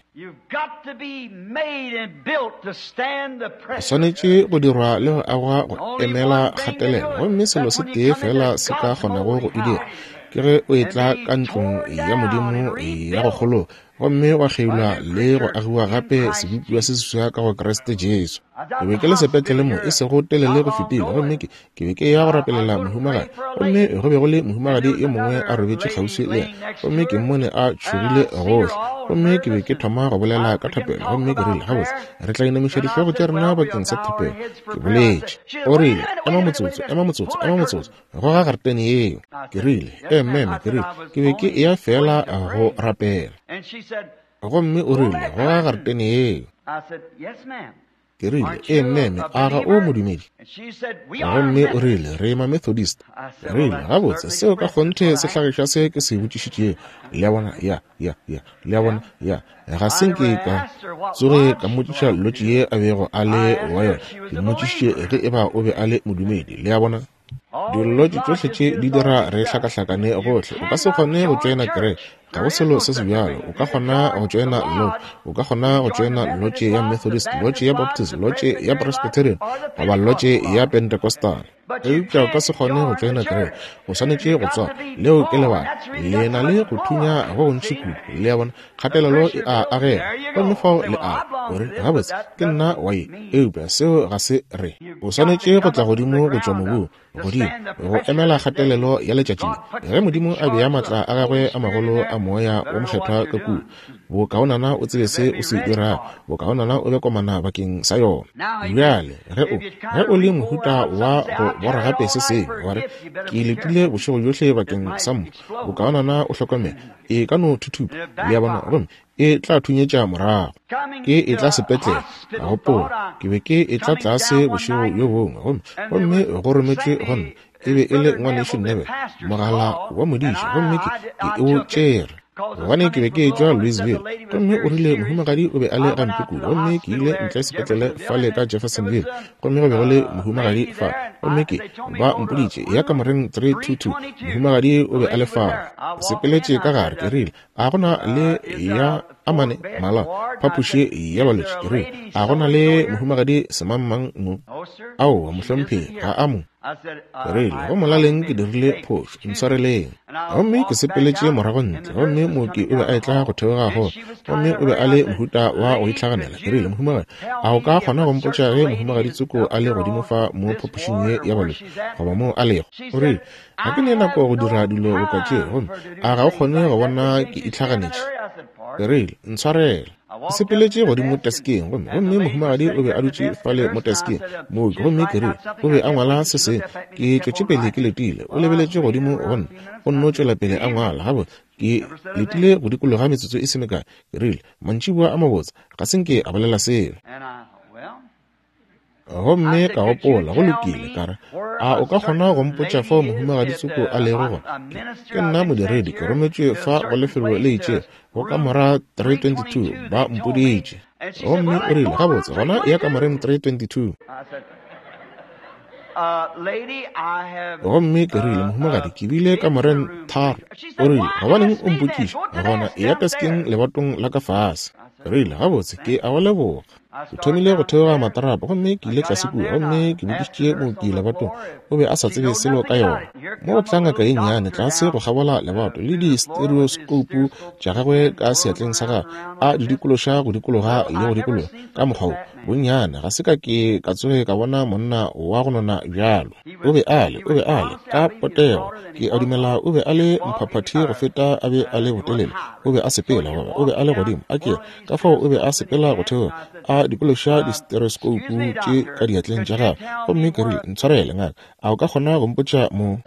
O swanetše go dirwa le go agwa go emela kgatelelo, gomme selo se tee feela se ka kgonago go e dira. Ke ge o etla ka ntlong ya Modimo ya go kgologa, gomme wa kgeilwa le go agiwa gape sebopiwa se seswa ka go Kriste Jesu. Ke be ke le sepetlele mo e sego telele go fetile, gomme ke be ke ya go rapelela mohumagadi, gomme go be go le mohumagadi yo mongwe a robetše kgauswi le yena, gomme ke mmone a tšhogile gohle. Gomme ke be ke thoma go bolela ka thapelo, gomme ke rile, gabotse, re tla inamiša dihlogo tša rena bakeng sa thapelo. Ke boletše. O rile, ema motsotso, ema motsotso, ema motsotso, goga garetene yeo. Ke rile, ee, meme, ke rile, ke be ke eya feela go rapela. Gomme o rile, goga garetene yeo. Ke rile, ee, meme, a ga o modumedi? Gomme o rile, re ma Methodist. Ke rile, gabotse, seo ka kgonthe se hlagiša se ke se botšišitšego. Le a bona? Ya, ya, ya. Le a bona? Ya. Ga se nke ka tsoge ka mmotšiša lotše ye a bego a le wa yona. Ke mmotšišitše ge eba o be a le modumedi. Le a bona? Dilotše tšohle tše di dira re hlakahlakane gohle. O ka se kgone go tšoena kereke, ga go selo se sebjalo. O ka kgona go tšoena lotše, o ka kgona go tšoena lotše ya Methodist, lotše ya Baptist, lotše ya Presbyterian, goba lotše ya Pentecostal. Eupša o ka se kgone go tšoena kereke, o swanetše go tswalwa. Leo ke lebaka. Le na le go thunya go gontši kudu, le a bona, kgatelelo e a agega. Gomme fao le a o re, gabotse, ke nna wa ye, eupša seo ga se re. O swanetše go tla godimo go tšwa mobung, godimo, go emela kgatelelo ya letšatši le. Ge Modimo a bea maatla a gagwe a magolo a Moya wo Mokgethwa ka kua, bokaonana o tsebe se o se dirago, bokaonana o be komana bakeng sa yona. Bjale, ge o, ge o le mohuta wa go bora gape se sengwe, wa re, Ke letile bošego bjohle bakeng sa mpho, bokaonana o hlokomele, e ka no thuthupa, le a bona, gomme e tla thunyetša morago. Ke etla sepetlele, ka gopola, ke be ke etla tlase bošego bjo bongwe, gomme, gomme go rometšwe go nna, e be e le Ngwanešu Neville, mogala wa modiša, gomme ke, ke o tšere, gobane ke be ke etšwa Louisville. Gomme o rile mohumagadi o be a le gampe kudu, gomme ke ile ntle sepetlele fale ka Jeffersonville, gomme go be go le mohumagadi fa, gomme ke, ba mpoditše, ya kamoreng 322, mohumagadi o be a le fao. Ke sepeletše ka gare, ke rile, A go na le ya amane mala phapoši ya balwetši? Ke rile, A go na le mohumagadi semangmang mo? Aowa, mohlomphegi, ga a mo. Ke rile, Go molaleng ke dirile phošo, ntshwareleng. Gomme ke sepeletše morago ntle, gomme mooki o be a etla go theoga go, gomme o be a le mohuta wa go itlhaganela. Ke rile, Mohumagadi, a o ka kgona go mpotša ge mohumagadi tsoko a le godimo fa mo phapošing ye ya balwetši, goba moo a lego? O rile, Ga ke ne nako go dira dilo boka tše, gomme a ga o kgone go bona ke itlhaganetše? Ke rile, Ntshwarele. Ke sepeletše godimo teskeng, gomme, gomme mohumagadi o be a dutše fale mo teskeng, mooki, gomme ke rile, o be a ngwala se sengwe. Ke tšwetše pele ke letile. O lebeletše godimo go nna, o nno tšwela pele a ngwala. Gabotse, ke letile go dikologa metsotso e se mekae. Ke rile, Mantšiboa a mabotse. Ga se nke a bolela selo. Gomme ka gopola, go lokile, ka re, a o ka kgona go mpotša fao mohumagadi tsoko a lego gona? Ke, ke nna modiredi, ke rometšwe fa go lefelo le itšego, go kamora 322, ba mpoditše. Gomme o rile, gabotse, gona eya kamoreng 322. Gomme ke rile, mohumagadi, ke bile kamoreng tharo. O rile, gobaneng o mpotšiša? Gona eya teskeng lebatong la ka fase. Ke rile, gabotse, ke a go leboga. Ke thomile go theoga matrapa gomme ke ile tlase kua gomme ke botšišitše mooki lebatong. O be a sa tsebe selo ka yona. Mo go tla ngaka ye nnyane tlase go kgabola lebato le di-stereoscope tša gagwe ka seatleng sa gagwe, a di dikološa go dikologa le go dikologa ka mokgwa wo. Bonnyane ga se ka ke ka tsoge ka bona monna wa go nona bjalo. O be a le, o be a le, ka potego, ke a dumela o be a le mphaphathi go feta a be a le botelele. O be a sepela, goba o be a le godimo, a ke re, Ka fao o be a sepela go theoga, a dikološa distereoskoupu tše ka diatleng tša gagwe. Gomme ke rile, Ntshwarele, ngaka, a o ka kgona go mpotša mo?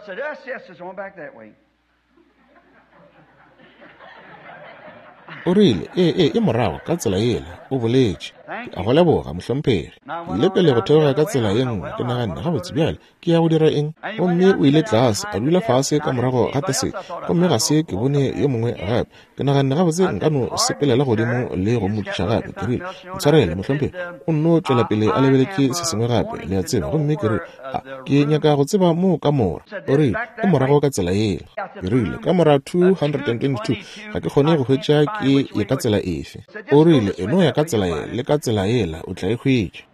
O rile, Ee, ee, e morago ka tsela yela, o boletše. Ke a go leboga, mohlomphegi. Ke ile pele go theoga ka tsela ye nngwe, ke naganne, Gabotse, bjale, ke ya go dira eng? Gomme o ile tlase, a dula fase ka morago ga taseke, gomme ga se ke bone yo mongwe gape. Ke naganne, Gabotse, nka no sepelela godimo le go mmotšiša gape. Ke rile, Ntshwarele, mohlomphegi. O nno tšwela pele a lebeletše se sengwe gape, le a tseba. Gomme ke rile, A ke nyaka go tseba moo kamora. O rile, E morago ka tsela yela. Ke rile, Kamora 222, ga ke kgone go hwetša ke ye ka tsela efe. O rile, E no ya ka tsela ye le ka tsela yela, o tla e hwetša.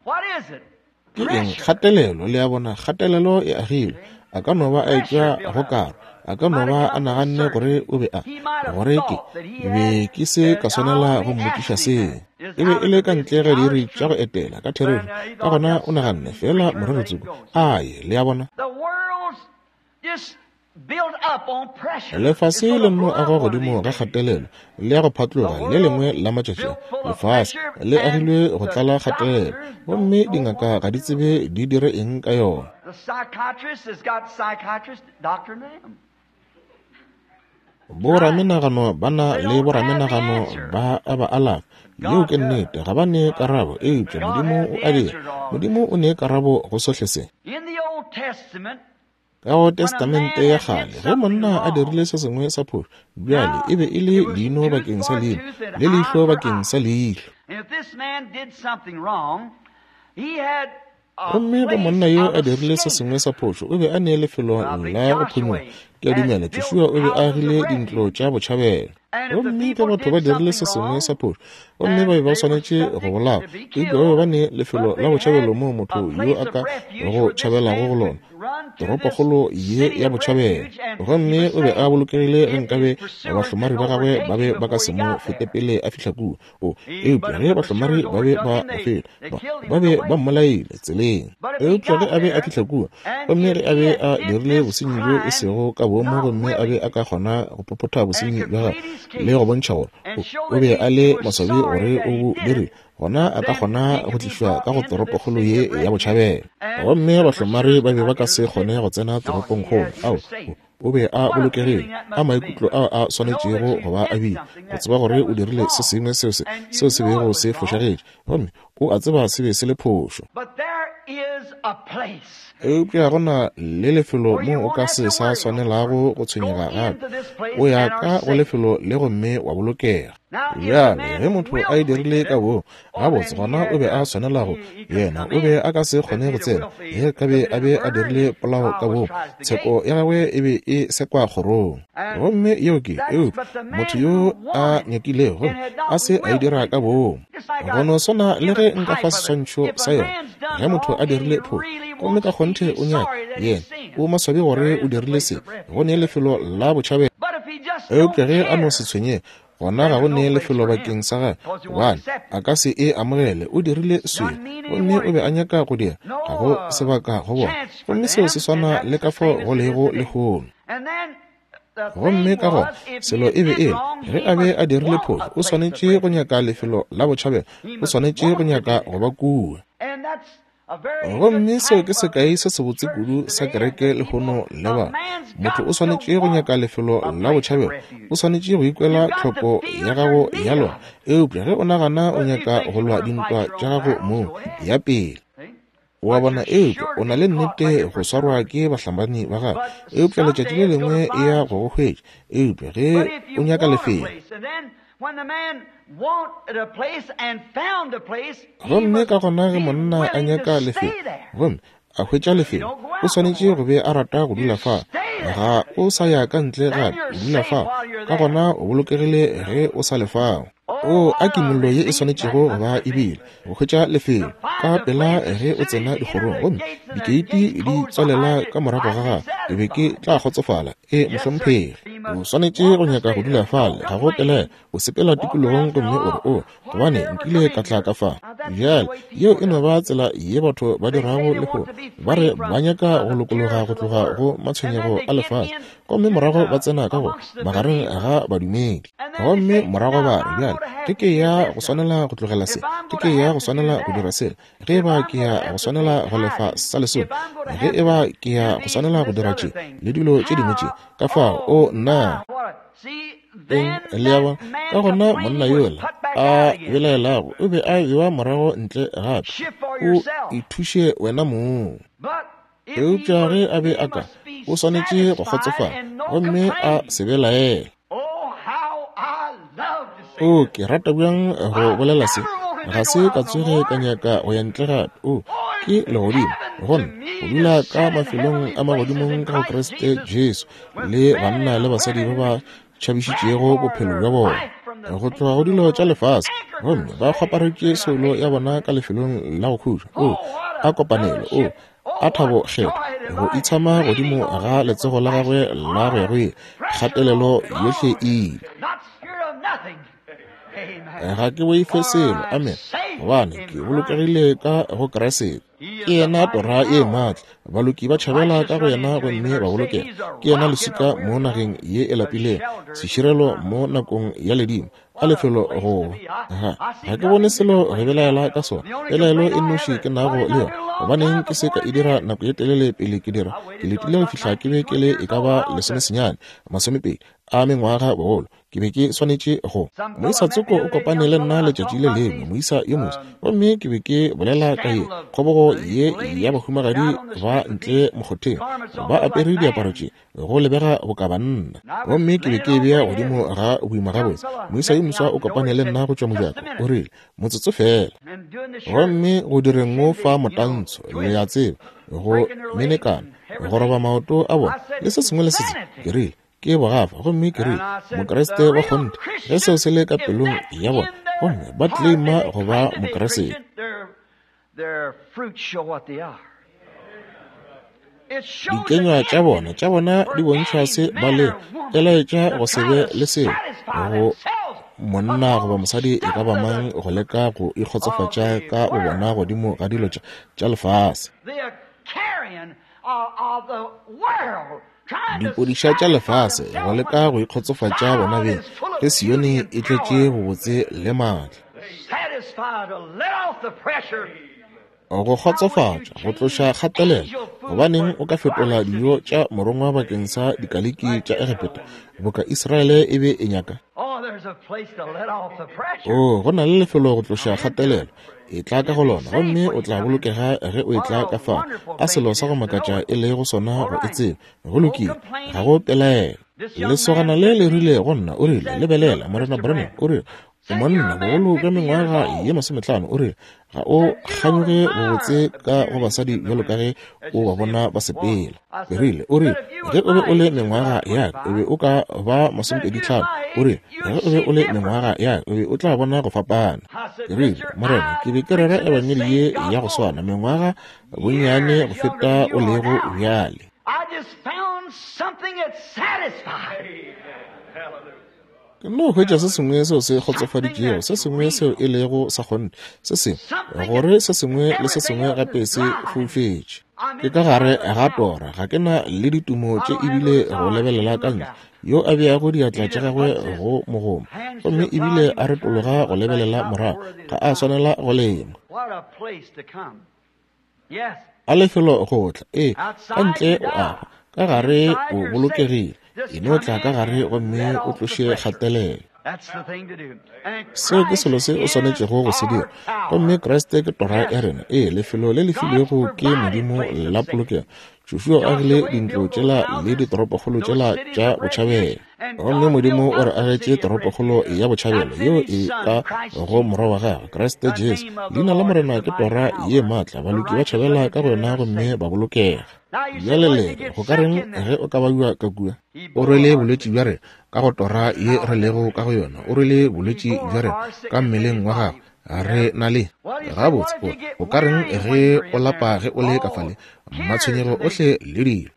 Ke eng? Kgatelelo, le a bona, kgatelelo e agilwe. A ka no ba a etšwa go karo. A ka no ba a naganne gore o be a, gore ke be ke se ka swanela go mmotšiša seo. E be e le ka ntle ga diiri tša go etela, ka therešo. Ka gona o naganne, feela morero tsoko, a ye, le a bona. Lefase le nno agwa godimo ga kgatelelo le ya go phatloga le lengwe la matšatši a. Lefase le agilwe go tlala kgatelelo, gomme dingaka ga di tsebe di dire eng ka yona. Boramenagano ba na le boramenagano ba a ba alafa. Yeo ke nnete, ga ba ne karabo, eupša Modimo o a dira. Modimo o ne karabo go sohle se. Ka go Testamente ya Kgale, ge monna a dirile se sengwe sa phošo, bjale e be e le leino bakeng sa leino, le leihlo bakeng sa leihlo. Gomme ge monna yo a dirile se sengwe sa phošo, o be a ne lefelo la go phonyokga. Ke a dumela Joshua o be a agile dintlo tša botšhabelo. Gomme ge batho ba dirile se sengwe sa phošo, gomme ba be ba swanetše go bolawa, eupša ba be ba ne lefelo la botšhabelo moo motho yo a ka go tšhabelago go lona, toropokgolo ye ya botšhabelo. Gomme o be a bolokegile ge nkabe bahlomari ba gagwe ba be ba ka se mo fete pele a fihla kua. O, eupša ge bahlomari ba be ba mo feta, ba, ba be ba mmolaile tseleng. Eupša ge a be a fihla kua, gomme ge a be a dirile bosenyi bjo e sego ka boomo, gomme a be a ka kgona go phophotha bosenyi bja gagwe le go bontšha gore o, o be a le maswabi gore o bo dirile, gona a ka kgona go tlišwa ka go toropokgolo ye ya botšhabelo. Gomme bahlomari ba be ba ka se kgone go tsena toropongkgolo. Ao, o, o be a bolokegile, a maikutlo ao a swanetšego go ba a bile, go tseba gore o dirile se sengwe seo se, seo se bego se fošagetše, gomme o a tseba se be se le phošo. Eupša go na le lefelo moo o ka se sa swanelago go tshwenyega gape. O ya ka go lefelo le gomme wa bolokega. Bjale, ge motho a e dirile ka boomo, gabotse, gona o be a swanela go, yena o be a ka se kgone go tsena. Ge ka be a be a dirile polao ka boomo, tsheko ya gagwe e be e sekwa kgorong. Gomme yeo ke, eupša motho yo a nyakilego gomme a se a e dira ka boomo. Go no swana le ge nka fa seswantšho sa yona, ge motho a dirile phošo, gomme ka kgonthe o nyaka, yena o maswabi gore o dirile se, go ne lefelo la botšhabelo. Eupša ge a no se tshwenyege, gona ga go ne lefelo bakeng sa gagwe, gobane a ka se e amogele. O dirile sebe, gomme o be a nyaka go dira, ga go sebaka go bona. Gomme seo se swana le ka fao go lego lehono. Gomme ka gona selo e be e le, ge a be a dirile phošo, o swanetše go nyaka lefelo la botšhabelo, o swanetše go nyaka go ba kua. Gomme seo ke sekai se sebotse kudu sa kereke lehono le ba. Motho o swanetše go nyaka lefelo la botšhabelo, o swanetše go ikwela tlhoko ya gago ya lona. Eupša ge o nagana o nyaka go lwa dintwa tša gago mong, ya pele. O a bona, eupša o na le nnete go swarwa ke bahlabani ba gago, eupša letšatši le lengwe e ya go go hwetša. Eupša ge o nyaka lefelo, gomme ka gona ge monna a nyaka lefelo gomme a hwetša lefelo, o swanetše go be a rata go dula fa. Ga o sa ya ka ntle gape, o dula fa. Ka gona o bolokegile ge o sa le fao. O a kimollo ye e swanetšego go ba e bile, go hwetša lefelo ka pela ge o tsena dikgorong gomme dikeiti di tswalela ka morago ga gago, ke be ke tla kgotsofala. E, mohlomphegi. O swanetše go nyaka go dula fale, ga go pelaelo. O sepela tikologong gomme o re, O, gobane nkile ka tla ka fa. Bjale, yeo e no ba tsela ye batho ba dirago lehono. Ba re ba nyaka go lokologa go tloga go matshwenyego a lefase, gomme morago ba tsena ka go magareng ga badumedi. Gomme morago ba re, Bjale, ge ke ya go swanela go tlogela se, ge ke ya go swanela go dira sela, ge e ba ke ya go swanela go lefa sa lesome, ge e ba ke ya go swanela go dira tše le dilo tše dingwe tše, ka fao, o nna. Eng, le a bona? Ka gona monna yola a belaelago o be a bewa morago ntle gape. O ithuše wena mong. Eupša ge a be a ka, o swanetše go kgotsofala gomme a se belaele. O, ke rata bjang go bolela se. Ga se ka tsoge ka nyaka go ya ntle gape. O, ke legodimo go nna, go dula ka mafelong a magodimong ka go Kriste Jesu, le banna le basadi ba ba tšhabišitšego bophelo bja bona go tloga go dilo tša lefase, gomme ba kgwaparetše soulo ya bona ka lefelong la go khutša. O, a kopanelo! O, A thabo kgethwa, go itshama godimo ga letsogo la gagwe la go ya go ile, kgatelelo yohle e ile. Ga ke boife selo, amen, gobane ke bolokegile ka go Kriste. Ke yena tora ye maatla, baloki ba tšhabela ka go yena gomme ba bolokega. Ke yena leswika mo nageng ye e lapilego, seširelo mo nakong ya ledimo. A lefelo go ga ga ke bone selo re belaela ka sona. Pelaelo e nnoši ke nago le yona, gobaneng ke se ka e dira nako ye telele pele ke dira? Ke letile go fihla ke be ke le e ka ba 19, 20 a mengwaga bogolo. Ke be ke swanetše go. Moisa tsoko o kopane le nna letšatši le lengwe, moisa yo moswa, gomme ke be ke bolela ka ye kgobogo ye ya bahumagadi ba ntle mokgotheng ba apere diaparo tše go lebega boka banna, gomme ke be ke e bea godimo ga boima gabotse. Moisa yo moswa o kopane le nna go tšwa mojako, o rile, motsotso fela, gomme go direng o fa motantsho, le a tseba, go menekana, go roba maoto a bona le se sengwe le se sengwe. Ke rile, ke bogafa, gomme ke rile, Mokriste wa kgonthe, ge seo se le ka pelong ya bona, gomme ba claima go ba Mokriste. Dikenywa tša bona, tša bona di bontšha se ba lego, e laetša go se be le selo go monna goba mosadi e ka ba mang go leka go ikgotsofatša ka bobona godimo ga dilo tša lefase. Dipodiša tša lefase go leka go ikgotsofatša bona beng, ge Sione e tletše bobotse le maatla. Go kgotsofatša, go tloša kgatelelo. Gobaneng o ka fetola dijo tša morongwa bakeng sa dikaliki tša Egepeta, boka Israele e be e nyaka? Oh, go na le lefelo go tloša kgatelelo. E tla ka go lona, gomme o tla bolokega ge o e tla ka fao. A selo sa go makatša e lego sona go e tseba. Go lokile, ga go pelaelo. Lesogana le le rile go nna, o rile, lebelela, Morena Branham, o rile, o monna bogolo bja mengwaga ye 50, o rile, ga o kganyoge bobotse ka go basadi bjalo ka ge o ba bona ba sepela. Ke rile, o rile, ge o be o le mengwaga ya ka, o be o ka ba 25. O rile, ge o be o le mengwaga ya ka, o be o tla bona go fapana. Ke rile, Morena, ke be ke rera ebangedi ye ya go swana mengwaga bonnyane go feta o lego bjale. Ke no hwetša se sengwe seo se kgotsofaditšego, se sengwe seo e lego sa kgonthe, se sengwe gore se sengwe le se sengwe gape se foufetše. Ke ka gare ga tora, ga ke na le ditumo tše ebile go lebelela ka ntle, yo a beago diatla tša gagwe go mogoma, gomme ebile a retologa go lebelela morago, ga a swanela go lema. A lefelo go tla, ee, ka ntle o a hwa, ka gare o bolokegile. E no tla ka gare gomme o tloše kgatelelo. Seo ke selo se o swanetšego go se dira. Gomme Kriste ke tora ya rena, ee, lefelo le le filwego ke Modimo la polokego. Joshua o agile dintlo tšela le ditoropokgolo tšela tša botšhabelo. Gomme Modimo o re agetše toropokgolo ya botšhabelo yeo e ka go morwa wa gagwe, Kriste Jesu. Leina la Morena ke tora ye maatla, baloki ba tšhabela ka go yona gomme ba bolokega. Bjale le re, go ka reng ge o ka baiwa ka kua? O rwele bolwetši bja rena ka go tora ye re lego ka go yona. O rwele bolwetši bja rena ka mmeleng wa gagwe. Re na le gabotse. O ka reng ge o lapa ge o le ka fale? Matshwenyego ohle le dilo.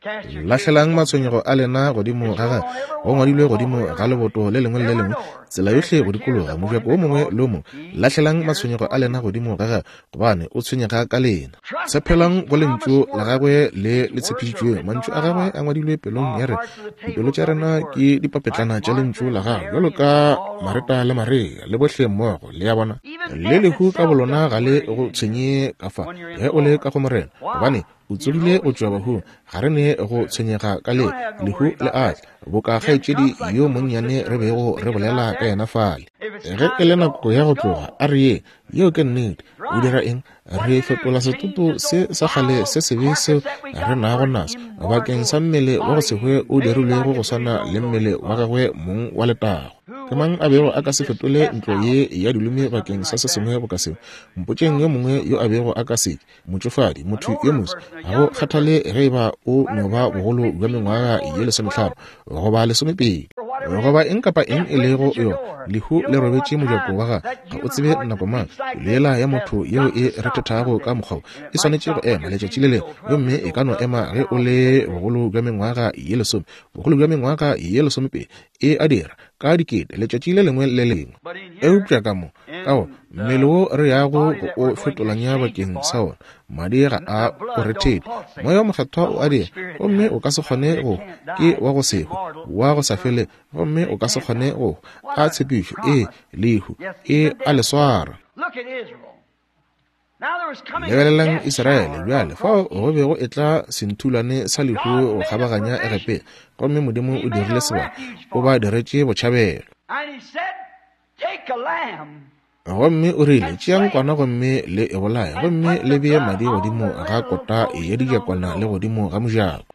Lahlelang matshwenyego a lena godimo ga gagwe. Go ngwadilwe godimo ga leboto le lengwe le le lengwe, tsela yohle go dikologa mojako o mongwe le o mongwe. Lahlelang matshwenyego a lena godimo ga gagwe, gobane o tshwenyega ka lena. Tshepelang go lentšu la gagwe le le tshepišitšwego. Mantšu a gagwe a ngwadilwe pelong ya rena. Dipelo tša rena ke dipapetlana tša lentšu la gagwe, bjalo ka Mareta le Maria le bohle mmogo. Le a bona? Le lehu ka bolona ga le go tshwenye ka fa ge o le ka go Morena, gobane o tsogile go tšwa bahung. Ga re ne go tshwenyega ka le lehu le a tla, boka kgaetšedi yo monnyane re bego re bolela ka yena fale. Ge e le nako ya go tloga, a re ye. Yeo ke nnete. O dira eng? Re fetola setoto se sa kgale se sebe seo re nago naso bakeng sa mmele wa go se hwe o dirilwego go swana le mmele wa gagwe mong wa letago. Ke mang a bego a ka se fetole ntlo ye ya dilume bakeng sa se sengwe boka seo? Mpotšeng yo mongwe yo a bego a ka se. Motšofadi, motho yo moswa, ga go kgathale ge e ba o no ba bogolo bja mengwaga ye 15 goba 20. Goba eng kapa eng e lego yona, lehu le robetše mojako wa gago. Ga o tsebe nako mang. Pelo yela ya motho yeo e rethethago ka mokgwa wo, e swanetše go ema letšatši le lengwe, gomme e ka no ema ge o le bogolo bja mengwaga ye lesome, bogolo bja mengwaga ye lesomepedi. E a dira, ka dikete, letšatši le lengwe le le lengwe. Eupša ka mo, ka go mmele wo re yago go o fetolanya bakeng sa wona, madi ga a o rethele. Moya wo Mokgethwa o a dira, gomme o ka se kgone go hwa. Ke wa go se hwe, wa go sa felego, gomme o ka se kgone go hwa. A tshepišo! Ee, lehu e a le swara. Lebelelang Israele bjale, fao go be go etla senthulwane sa lehu go kgabaganya Egepeta, gomme Modimo o dirile sebaka, o ba diretše botšhabelo. Gomme o rile, Tšeang kwana gomme le e bolaye, gomme le bee madi godimo ga kota ya dijakwana le godimo ga mojako.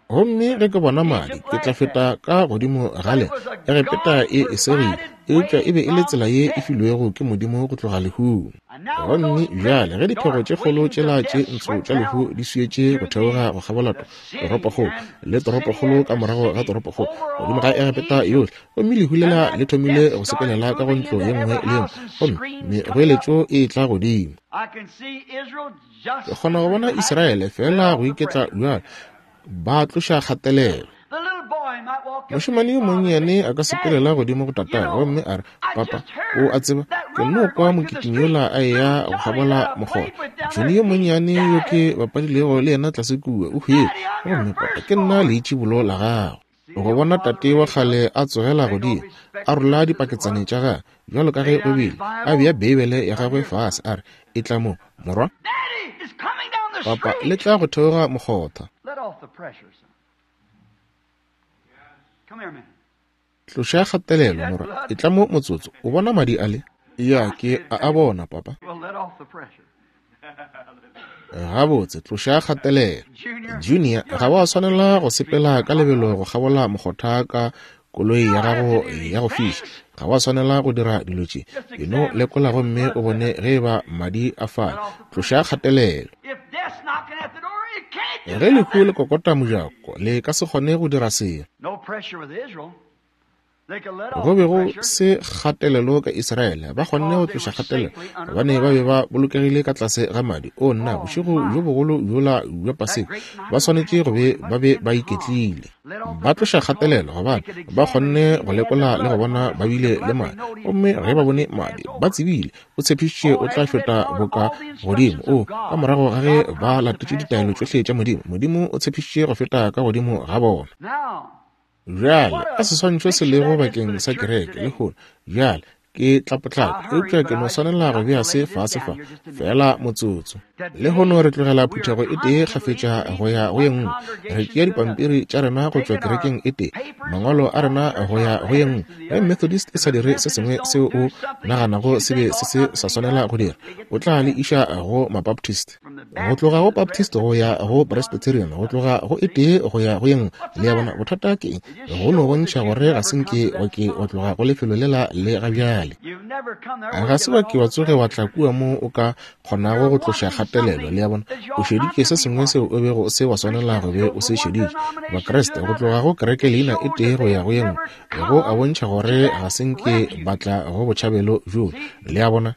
Gomme ge ke bona madi, ke tla feta ka godimo ga lena. Egepeta e e segile, eupša e be e le tsela ye e filwego ke Modimo go tloga lehung. Gomme bjale ge diphego tše kgolo tšela tše ntsho tša lehu di swietše go theoga go kgabola toropokgolo le toropokgolo ka morago ga toropokgolo godimo ga Egepeta yohle, gomme lehu lela le thomile go sepelela ka go ntlo ye nngwe le ye nngwe, gomme megoeletšo e etla godimo. Ke kgona go bona Israele feela go iketla bjalo, ba tloša kgatelelo. Mošemane yo monnyane a ka sepelela godimo go tatagwe gomme a re, Papa, o a tseba, ke nno kwa mokitimi yola a eya go kgabola mokgoro. Johnny yo monnyane yo ke bapadilego le yena tlase kua, o hwile. Gomme, papa, ke nna leitšibolo la gago. Go bona tate wa kgale a tsogela godimo, a rola dipaketsane tša gagwe, bjalo ka ge go bile, a bea Beibele ya gagwe fase, a re, Etla mo, morwa. Papa, le tla go theoga mokgotha. Tloša kgatelelo, morwa. Etla mo motsotso. O bona madi ale? Ya, ke a a bona, papa. Gabotse, tloša kgatelelo. Junior, ga wa swanela go sepela ka lebelo go kgabola mokgotha ka koloi ya gago ya go fiša. Ga wa swanela go dira dilo tše. E no lekola gomme o bone ge e ba madi a fale. Tloša kgatelelo. Ge lehu le kokota mojako, le ka se kgone go dira selo. Go be go se kgatelelo ka Israele. Ba kgonne go tloša kgatelelo gobane ba be ba bolokegile ka tlase ga madi. O nna, bošego bjo bogolo bjola bja Paseka, ba swanetše go be ba be ba iketlile. Ba tloša kgatelelo gobane ba kgonne go lekola le go bona ba bile le madi. Gomme ge ba bone madi, ba tsebile o tshepišitše o tla feta boka godimo. O, ka morago ga ge ba latetše ditaelo tšohle tša Modimo, Modimo o tshepišitše go feta ka godimo ga bona. Bjale, a seswantšho se lego bakeng sa kereke lehono. Bjale, ke tla potlaka, eupša ke no swanela go bea se fase fa, feela motsotso. Lehono re tlogela phuthego e tee kgafetša go ya go ye nngwe. Re tšea dipampiri tša rena go tšwa kerekeng e tee, mangwalo a rena go ya go ye nngwe. Ge Methodist e sa dire se sengwe seo o naganago se be se se sa swanela go dira, o tla le iša go Mabaptist. Go tloga go Baptist go ya go Presbyterian, go tloga go e tee go ya go ye nngwe. Le a bona, bothata ke eng? Go no bontšha gore ga se nke wa ke wa tloga go lefelo lela le ga bjale. Ga se wa ke wa tsoge wa tla kua mo o ka kgonago go tloša kgatelelo. Le a bona, o šeditše se sengwe seo o bego o se wa swanela go be o se šeditše. Bakriste, go tloga go kereke leina e tee go ya go ye nngwe, go a bontšha gore ga se nke ba tla go botšhabelo bjoo. Le a bona?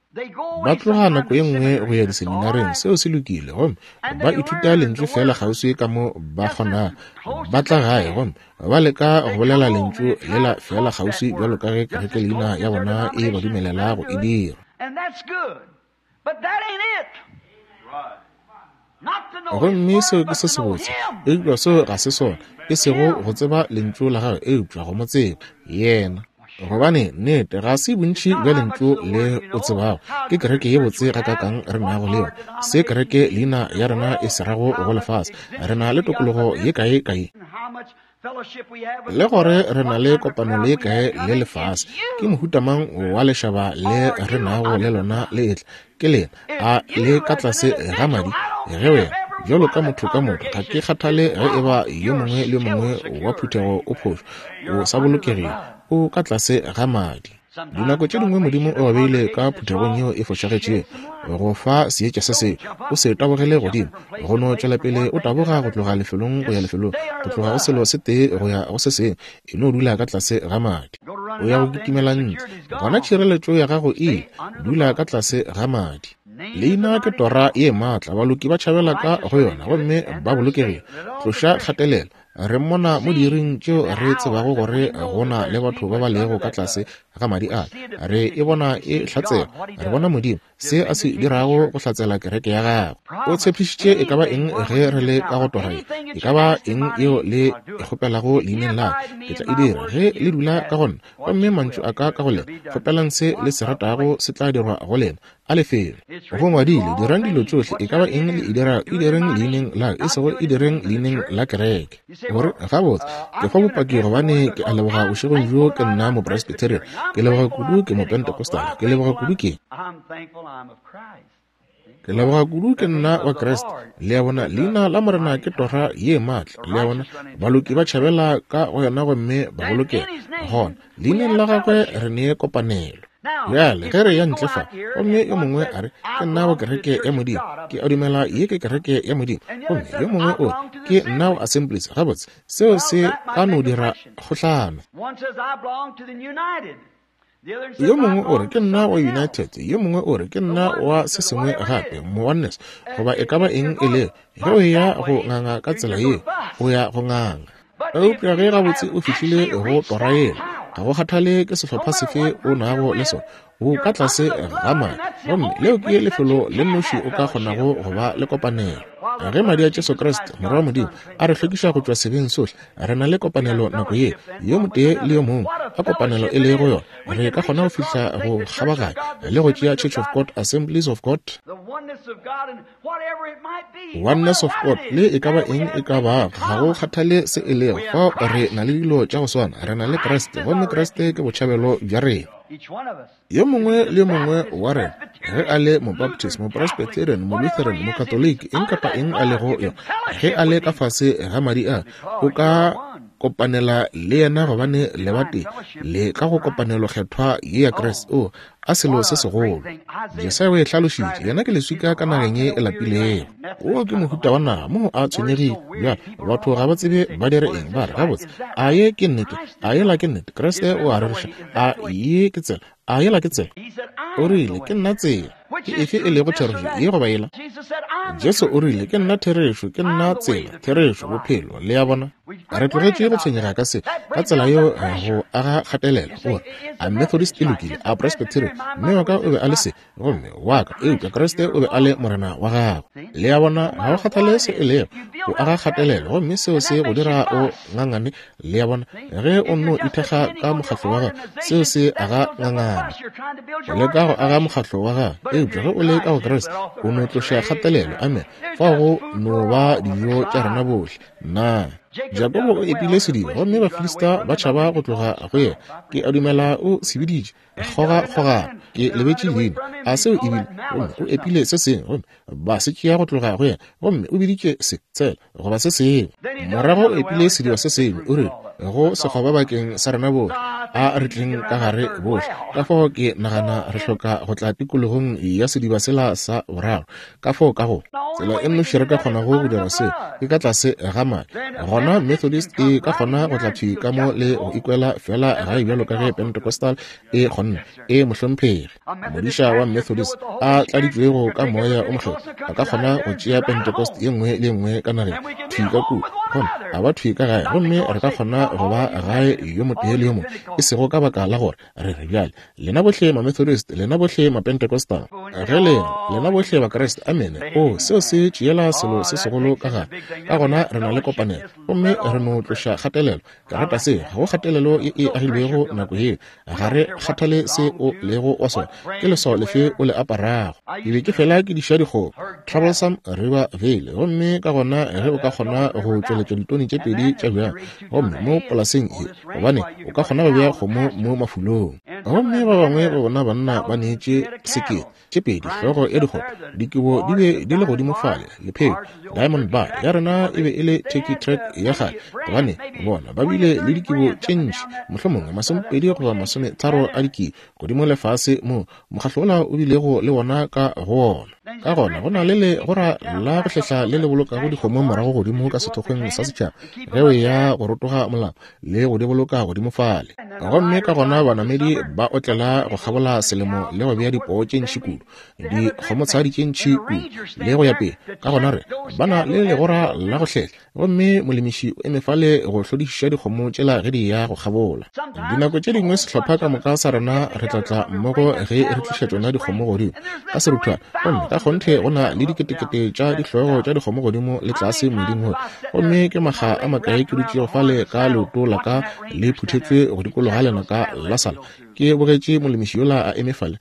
Ba tloga nako ye nngwe go ya diseminareng, seo se lokile, gomme ba ithuta lentšu feela kgauswi ka mo ba kgonago. Ba tla gae gomme ba leka go bolela lentšu lela feela kgauswi bjalo ka ge kereke leina ya bona e ba dumelela go e dira. Gomme seo ke se sebotse, eupša seo ga se sona, e sego go tseba Lentšu la Gagwe, eupša go mo tseba Yena. Gobane, nnete, ga se bontši bja Lentšu le o tsebago, ke kereke ye botse gakaakang re nago le yona, se kereke leina ya rena e se rago go lefase, re na le tokologo ye kae kae, le gore re na le kopano le kae le lefase, ke mohuta mang wa lešaba le re nago le lona le etla, ke lena, a le ka tlase ga madi? Ge wena, bjalo ka motho ka motho, ga ke kgathale ge e ba yo mongwe le yo mongwe wa phuthego o phošo, o sa bolokegile, o ka tlase ga madi. Dinako tše dingwe Modimo o ba beile ka phuthegong yeo e fošagetšego go fa seetša se sengwe. O se tabogele godimo, go no tšwela pele o taboga go tloga lefelong go ya lefelong, go tloga go selo se tee go ya go se sengwe. E no dula ka tlase ga madi. O ya go kitimela ntle, gona tšhireletšo ya gago e ile. Dula ka tlase ga madi. Leina ke tora ye maatla, baloki ba tšhabela ka go yona gomme ba bolokegile. Tloša kgatelelo. Re mmona mo diiring tšeo re tsebago gore go na le batho ba ba lego ka tlase ga madi a. Re e bona e hlatsela. Re bona Modimo, se a se dirago go hlatsela kereke ya gagwe. O tshepišitše e ka ba eng ge re le ka go tora ye, e ka ba eng yeo le e kgopelago leineng la ka, ke tla e dira. Ge le dula ka go nna, gomme mantšu a ka ka go lena, kgopelang se le se ratago, se tla dirwa go lena. A lefelo. Go ngwadile, dirang dilo tšohle, e ka ba eng le e dirago, e direng leineng la ka, e sego e direng leineng la kereke. Gore, gabotse, ke fa bopaki gobane ke a leboga bošegong bjo ke nna Mopresbyterian, ke leboga kudu ke Mopentecostal, ke leboga kudu ke. Ke leboga kudu ke nna wa Kriste. Le a bona, leina la Morena ke tora ye maatla. Le a bona, baloki ba tšhabela ka go yona gomme ba bolokega. Gona, leineng la gagwe re ne kopanelo. Bjale, ge re ya ntle fa, gomme yo mongwe a re, Ke nna wa kereke ya Modimo, ke a dumela ye ke kereke ya Modimo, gomme yo mongwe o re, Ke nna wa Assemblies, gabotse, seo se ka no dira kgohlano. Yo mongwe o re, Ke nna wa United, yo mongwe o re, Ke nna wa se sengwe gape, Mooneness, goba e ka ba eng e lego. Ge o eya go nganga ka tsela yeo, o ya go nganga. Eupša ge gabotse o fihlile go tora yela, ga go kgathale ke sehlopha sefe o nago le sona, o ka tlase ga madi, gomme leo ke lefelo le nnoši o ka kgonago go ba le kopanelo. Ge madi a Jesu Kriste, Morwa wa Modimo, a re hlwekiša go tšwa sebeng sohle, re na le kopanelo nako ye, yo motee le yo mongwe, a kopanelo e lego yona, re ka kgona go fihla go kgabaganya le go tšea Church of God, Assemblies of God, Oneness of God, le e ka ba eng e ka ba, ga go kgathale se e lego, fao re na le dilo tša go swana, re na le Kriste, gomme Kriste ke botšhabelo bja rena. Yo mongwe le yo mongwe wa rena, ge a le Mobaptist, Mopresbyterian, Molutheran, Mokatoliki, eng kapa eng a lego yona, ge a le ka fase ga madi a, o ka kopanela le yena gobane le batee, le ka go kopanelo kgethwa ye ya Kriste. O, a selo se segolo. Jesaya o e hlalošitše, yena ke leswika ka nageng ye e lapilego. Wo ke mohuta wa naga moo a tshwenyegile. Bjale, batho ga ba tsebe ba dire eng. Ba re, Gabotse, a ye ke nnete? A yela ke nnete? Kriste o a rereša. A ye ke tsela? A yela ke tsela? O rile, Ke nna tsela. Ke efe e lego therešo, ye goba yela? Jesu o rile, Ke nna therešo, ke nna tsela, therešo, bophelo. Le a bona? Re tlogetše go tshwenyega ka se, ka tsela yeo go aga kgatelelo. O re, A Methodist e lokile, a Presbyterian, mme wa ka o be a le se, gomme wa ka, eupša Kriste o be a le Morena wa gago. Le a bona, ga go kgathale se e lego, o aga kgatelelo, gomme seo se go dira o ngangane. Le a bona, ge o nno ithekga ka mokgatlo wa gago, seo se aga ngangane. O leka go aga mokgatlo wa gago, eupša ge o le ka go Kriste, o no tloša kgatelelo. Amen. Fao go no ba dijo tša rena bohle. Na Jakobo o epile sediba gomme Bafilista ba tšhaba go tloga go yena? Ke a dumela o se biditše kgogakgogano. Ke lebetše leina. A seo e bile? Gomme o epile se sengwe gomme ba se tšea go tloga go yena, gomme o biditše se tsela goba se sengwe. Morago o epile sediba se sengwe, o rile, Go sekgoba bakeng sa rena bohle, a re tleng ka gare bohle. Ka fao ke nagana re hloka go tla tikologong ya sediba sela sa boraro. Ka fao ka go tsela e nnoši re ka kgonago go dira seo ke ka tlase ga madi. Gona Methodist e ka kgona go tla thwi ka mo le go ikwela feela gae bjalo ka ge Pentecostal e kgonne. E mohlomphegi, modiša wa Methodist a tladitšwego ka Moya o Mokgethwa a ka kgona go tšea Pentecost ye nngwe le ye nngwe ka nageng thwi ka kua, gomme a ba thwi ka gae, gomme re ka kgona go ba gae yo motee le yo mongwe, e sego ka baka la gore re re bjale lena bohle Mamethodist, lena bohle Mapentecostal, ge le lena bohle Bakriste, amene. O, seo se tšeela selo se segolo ka gare. Ka gona re na le kopanelo, gomme re no tloša kgatelelo. Ke rata se, ga go kgatelelo ye e agilwego nako yeo. Ga re kgathale se o lego wa sona, ke leswao lefe o le aparago. Ke be ke fela ke diša dikgomo Troublesome River Valley, gomme ka gona ge o ka kgona go tšweletša ditone tše pedi tša bjang, gomme mo polaseng ye, gobane o ka kgona go bea kgomo mo mafulong. Gomme ba bangwe ba bona banna ba neetše sekete, tše pedi, hlogo ya dikgopo, dikobo di be di le godimo fale, lepheko, Diamond Bar ya rena e be e le Turkey Track ya kgale, gobane bona ba bile le dikibo tše ntši, mohlomongwe 20 goba 30 a dikibo, godimo le fase moo mokgahlo wola o bilego le wona ka go wona. Ka gona go na le legora la go hlehla le le bolokago dikgomo morago godimo ka sethokgweng sa setšhaba ge o eya go rotoga molapo, le go di boloka godimo fale. Gomme ka gona banamedi ba otlela go kgabola selemo le go bea dipoo tše ntši kudu, dikgomotshadi tše ntši kudu, le go ya pele. Ka gona re ba na le legora la go hlehla, gomme molemiši o eme fale go hlodišiša dikgomo tšela ge di ya go kgabola. Dinako tše dingwe sehlopha ka moka sa rena re tla tla mmogo ge re tliša tšona dikgomo godimo ka seruthwana, gomme ka kgonthe go na le diketekete tša dihlogo tša dikgomo godimo le tlase moeding wo. Gomme ke makga a makae ke dutšego fale ka leoto la ka le phuthetšwe go dikologa lenaka la sala, ke bogetše molemiši yola a eme fale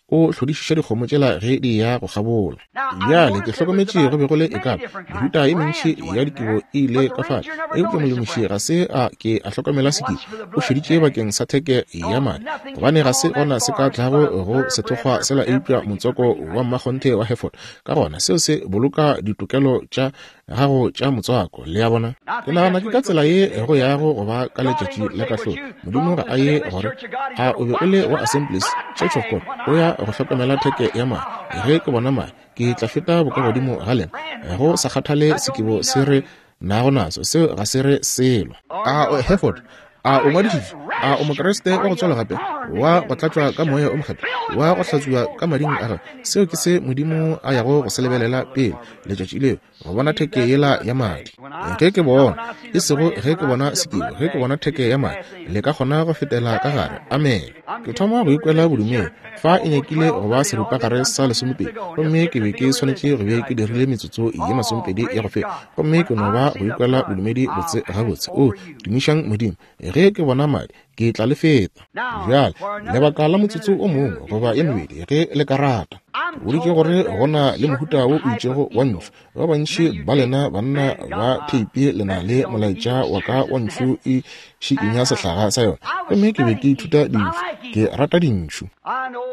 o hlodišiša dikgomo tšela ge di ya go kgabola. Bjale ke hlokometše go be go le e ka ba mehuta ye mentši ya dikibo e ile ka fale, eupša molemiši ga se a ke a hlokomela sekibo, o šeditše bakeng sa theke ya madi, gobane ga se gona se ka tlago go sethokgwa sela eupša motswako wa mmakgonthe wa Hereford. Ka gona seo se boloka ditokelo tša gago tša motswako, le a bona. Ke nagana ke ka tsela ye go yago go ba ka letšatši la kahlolo. Modimo ga a ye gore a o be o le wa Assemblies, Church of God, o ya go hlokomela theke ya madi. Ge ke bona madi, ke tla feta bokagodimo ga lena, go sa kgathale sekibo se re nago naso, seo ga se re selo. A o Hereford? A o ngwadišitšwe? A o Mokriste wa go tswalwa gape, wa go tlatšwa ka Moya o Mokgethwa, wa go hlatswiwa ka mading a gagwe? Seo ke se Modimo a yago go se lebelela pele letšatši leo, go bona theke yela ya madi. Ge ke bona, e sego ge ke bona sekibo, ge ke bona theke ya madi, le ka kgona go fetela ka gare. Amene. Ke thoma go ikwela bodumedi. Fa e nyakile go ba seripagare sa lesomepedi, gomme ke be ke swanetše go be ke dirile metsotso ye masomepedi ya go feta, gomme ke no ba go ikwela bodumedi botse gabotse. O, tumišang Modimo, ge ke bona madi, ke tla le feta. Bjale, lebaka la motsotso o mongwe goba ye mebedi, ge le ka rata. Ke boditše gore go na le mohuta wo o itšego wa ntšhu. Ba bantši ba lena banna ba theipi le na le molaetša wa ka wa ntšhu e šikinya sehlaga sa yona. Gomme ke be ke ithuta dintšhu. Ke rata dintšhu.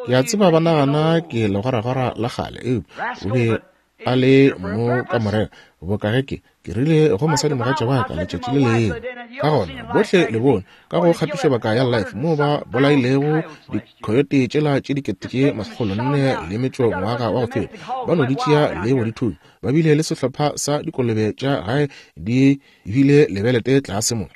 Ke a tseba ba nagana ke legwaragwara la kgale, eupša o be a le mo ka morena boka ge ke ke rile go mosadimogatša wa ka letšatši le lengwe. Ka gona bohle le bone ka go kgatišobaka ya Life moo ba bolailego dikhoyote tšela tše 4400 ngwaga wa go feta, ba no di tšea le go di thunya. Ba bile le sehlopha sa dikolobe tša gae di bile lebelete tlase mo,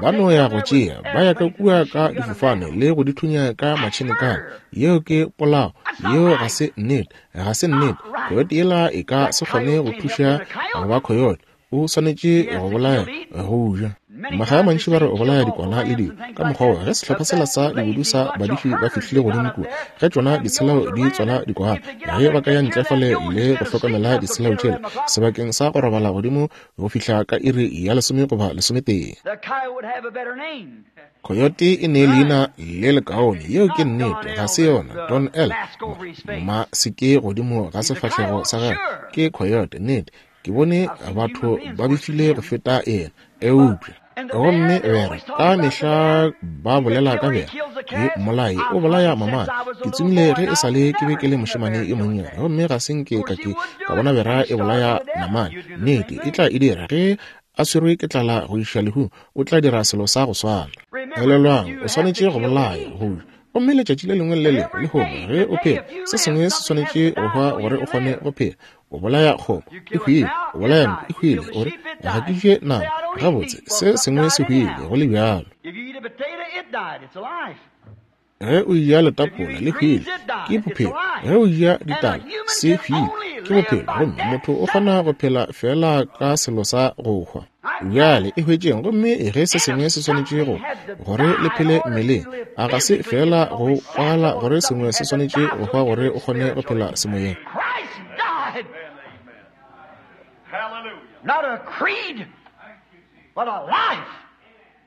ba no ya go tšea, ba ya ka kua ka difofane le go di thunya ka matšhenekane. Yeo ke polao, yeo ga se nnete, ga se nnete. Coyote yela e ka se kgone go thuša go ba coyote, o swanetše go bolaya go ja. Makga a mantši ba re o bolaya dikwana le dilo ka mokgwa wo. Ge sehlopha sela sa dibodu sa badiši ba fihlile godimo kua, ge tšona ditshelao di tswala dikwana, ge ba ka ya ntle fale le go hlokomela ditshelao tšela sebakeng sa go robala godimo go fihla ka iri ya lesome goba lesometee. Coyote e ne leina le lekaone, yeo ke nnete, ga se yona Don L. Ma se ke godimo ga sefahlego sa gagwe, ke coyote, nnete. Ke bone batho ba befile go feta yena, eupša gomme bere ka mehla ba bolela ka bere ke mmolai, o bolaya mamane. Ke tsomile ge e sa le ke be ke le mošemane yo monnyane, gomme ga se nke ka ke ka bona bera e bolaya namane. Nnete e tla e dira ge a swerwe ke tlala go iša lehung, o tla dira selo sa go swana. Elelwang, o swanetše go bolaya go ja, gomme letšatši le lengwe le le lengwe lehono ge o phela, se sengwe se swanetše go hwa gore o kgone go phela. O bolaya kgomo, e hwile. O bolaya nku, e hwile. O re, ga ke je nama. Gabotse, se sengwe se hwile, go le bjalo. Ge o eja letapola, le hwile, ke bophelo. Ge o eja ditala, se hwile, ke bophelo. Gomme motho o kgona go phela feela ka selo sa go hwa. Bjale e hwetšeng, gomme ge se sengwe se swanetše go gore le phele mmeleng, a ga se feela go kwagala gore sengwe se swanetše go hwa gore o kgone go phela semoyeng? Not a creed, but a life.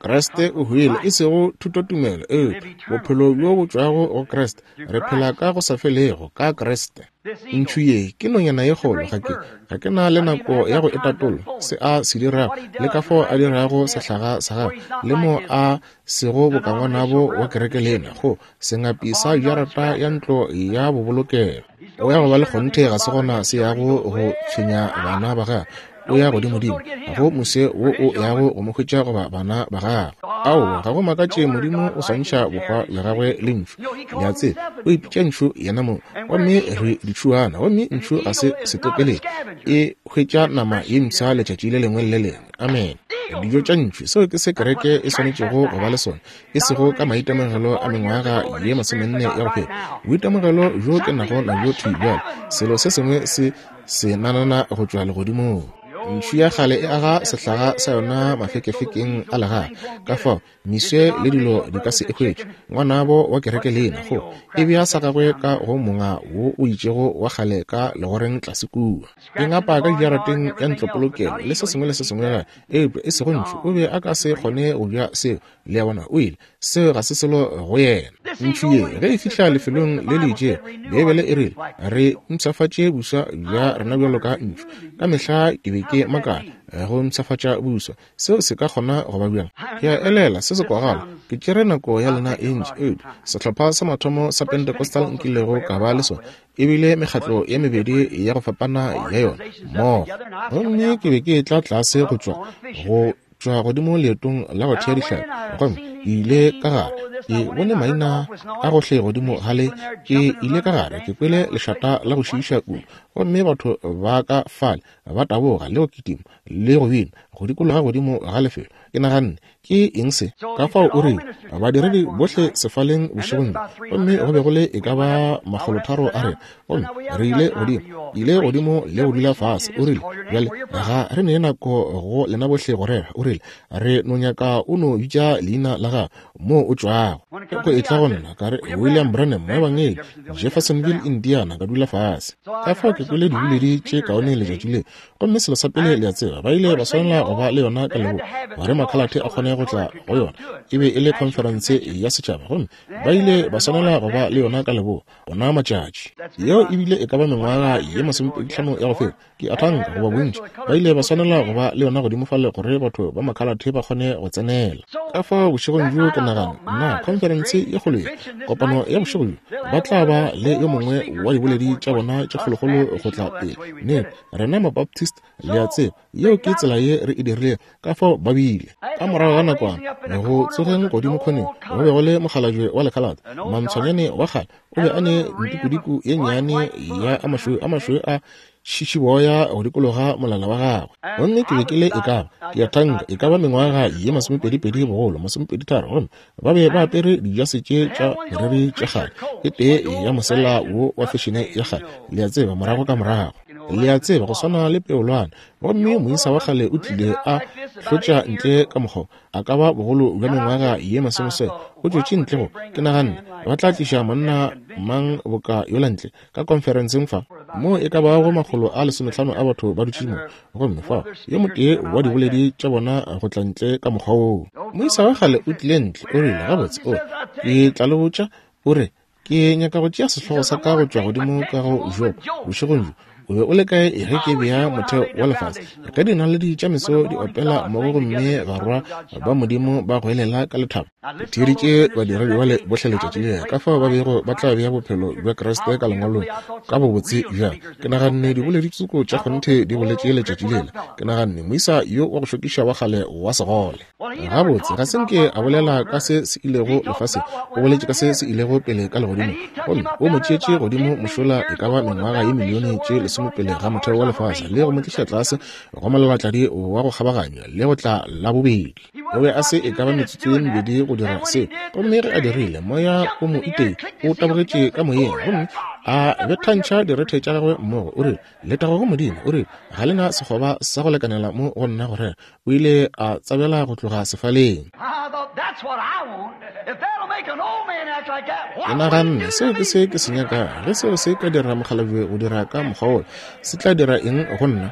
Kriste o hwile, e sego thutotumelo, eupša bophelo bjo bo tšwago go Kriste. Re phela ka go sa felego ka Kriste. Ntšhu ye ke nonyana ye kgolo. Ga ke, ga ke na le nako ya go e tatolla, se a se dirago, le ka fao a dirago sehlaga sa gagwe, le mo a sego boka ngwanabo wa kereke lena, go sengapi sa jarata ya ntlo ya bobolokelo. O ya go ba le kgonthe ga se gona se yago go tshwenya bana ba gagwe. O ya godimodimo, ga go mose wo o yago go mo hwetša goba bana ba gagwe. Aowa, ga go makatše Modimo o swantšha bohwa bja gagwe le ntšhu. Le a tseba, o ipitša ntšhu yenamong. Gomme re ditšhuana, gomme ntšhu ga se setopeledi. E hwetša nama ye mpsha letšatši le lengwe le le lengwe. Amene. Dijo tša ntšhu, seo ke se kereke e swanetšego go ba le sona, e sego ka maitemogelo a mengwaga ye masomenne ya go feta. Boitemogelo bjo ke nago nabjo thwi bjale, selo se sengwe se se nanana go tšwa legodimong. Ntšhu ya kgale e aga sehlaga sa yona mafekefekeng a legae, ka fao meswe le dilo di ka se e hwetše. Ngwanabo wa kereke lena go e bea sa gagwe ka go monga wo o itšego wa kgale ka legoreng tlase kua. E ngapa ka dijarateng ya ntlopolokelo le se sengwe le se sengwe gape, eupša e sego ntšhu. O be a ka se kgone go ja seo. Le a bona, o ile. Seo ga se selo go yena. Ntšhu ye, ge e fihla lefelong le le itšego, Beibele e rile, re mpshafatše buswa bja rena bjalo ka ntšhu. Ka mehla ke be ke makala, go mpshafatša buswa, seo se ka kgona go ba bjang? Ke a elela, se se kwagala. Ke tšere nako ya lena e ntši, eupša sehlopha sa mathomo sa Pentecostal nkilego ka ba le sona e bile mekgatlo ye mebedi ya go fapana ya yona mmogo. Gomme ke be ke etla tlase go tšwa go tšwa godimo leetong la go thea dihlapi, gomme ke ile ka gare, ke bone maina a gohle godimo ga le. Ke ile ka gare, ke kwele lešata la go šiiša kudu, gomme batho ba ka fale ba taboga le go kitima le go bina go dikologa godimo ga lefelo. Ke naganne, Ke eng se? Ka fao o rile, Badiredi bohle sefaleng bošegong bjo, gomme go be go le e ka ba makgolotharo a rena, gomme re ile godimo, ke ile godimo le go dula fase. O rile, Bjale, ga re ne nako go lena bohle go rera. O rile, Re no nyaka o no bitša leina la gago, moo o tšwago. Ge go etla go nna, ka re, William Branham, moebangedi, Jeffersonville, Indiana, ka dula fase. Ka fao ke kwele diboledi tše kaone letšatši le. Gomme selo sa pele le a tseba, ba ile ba swanela go ba le yona ka leboa gore makhalathe a kgone go tla go yona. E be e le khonferense ya setšhaba, gomme ba ile ba swanela go ba le yona ka leboa ona matšatši. Yeo e bile e ka ba mengwaga ye masomepedihlano ya go feta, ke a thanka, goba bontši. Ba ile ba swanela go ba le yona godimo fale gore batho ba makhalathe ba kgone go tsenela. Ka fao bošegong bjo ke nagana, nna, khonferense ye kgolo ye, kopano ya bošego bjo, ba tla ba le yo mongwe wa diboledi tša bona tše kgolokgolo go tla pele. Nnete, rena Mabaptist, le a tseba, yeo ke tsela ye re e dirilego. Ka fao ba bile. Ka morago ga nakwana, go tsogeng godimo khoneng, go be go le mokgalabje wa lekhalate, mantshwanyane wa kgale, o be a ne ntikodiko ye nnyane ya a mašweu a mašweu a šišiboya go dikologa molala wa gagwe. Gomme ke be ke le e ka ba, ke a thanka, e ka ba mengwaga ye masomepedipedi bogolo, masomepeditharo, gomme ba be ba apere dijase tše tša moriri tša kgale, e tee ya mosela wo wa fešene ya kgale, le a tseba, morago ka morago, le a tseba, go swana le peolwana. Gomme moisa wa kgale o tlile a hlotša ntle ka mokgwa, a ka ba bogolo bja mengwaga ye masomesome, o tšwetše ntle go, ke naganne, ba tla tliša monna mang boka yola ntle ka konferenseng fa, moo e ka bago makgolo a lesomehlano a batho ba dutše mo, gomme fao yo motee wa diboledi tša bona go tla ntle ka mokgwa woo. Moisa wa kgale o tlile ntle, o rile, Gabotse, o, ke tla le botša, o re, ke nyaka go tšea sehlogo sa ka go tšwa godimo ka go Job bošegong bjo. O be o le kae ge ke bea motheo wa lefase? Ge dinaledi tša meso di opela mmogo gomme barwa ba Modimo ba goelela ka lethabo. Ke theeditše badiredi bale bohle letšatši le, ka fao ba bego ba tla bea bophelo bja Kriste ka lengwalong ka bobotse bjang. Ke naganne diboledi tsoko tša kgonthe di boletše letšatši lela. Ke naganne moisa yo wa go šokiša wa kgale wa segole. Gabotse, ga se nke a bolela ka se se ilego lefaseng, o boletše ka se se ilego pele ka legodimong. Gomme o mo tšeetše godimo mošola e ka ba mengwaga ye milione tše lesome pele ga motheo wa lefase, le go mo tliša tlase go molalatladi wa go kgabaganya le go tla la bobedi. O be a se e ka ba metsotso ye mebedi go dira seo. Gomme ge a dirile, moya o mo itee, o tabogetše ka moyeng, gomme a bethantšha direthe tša gagwe mmogo. O rile, Letago go Modimo! O rile, Ga le na sekgoba sa go lekanela mo go nna go rera. O ile a tsabela go tloga sefaleng. Ke naganne, Seo ke se ke se nyakago. Ge seo se ka dira mokgalabje go dira ka mokgwa wola, se tla dira eng go nna?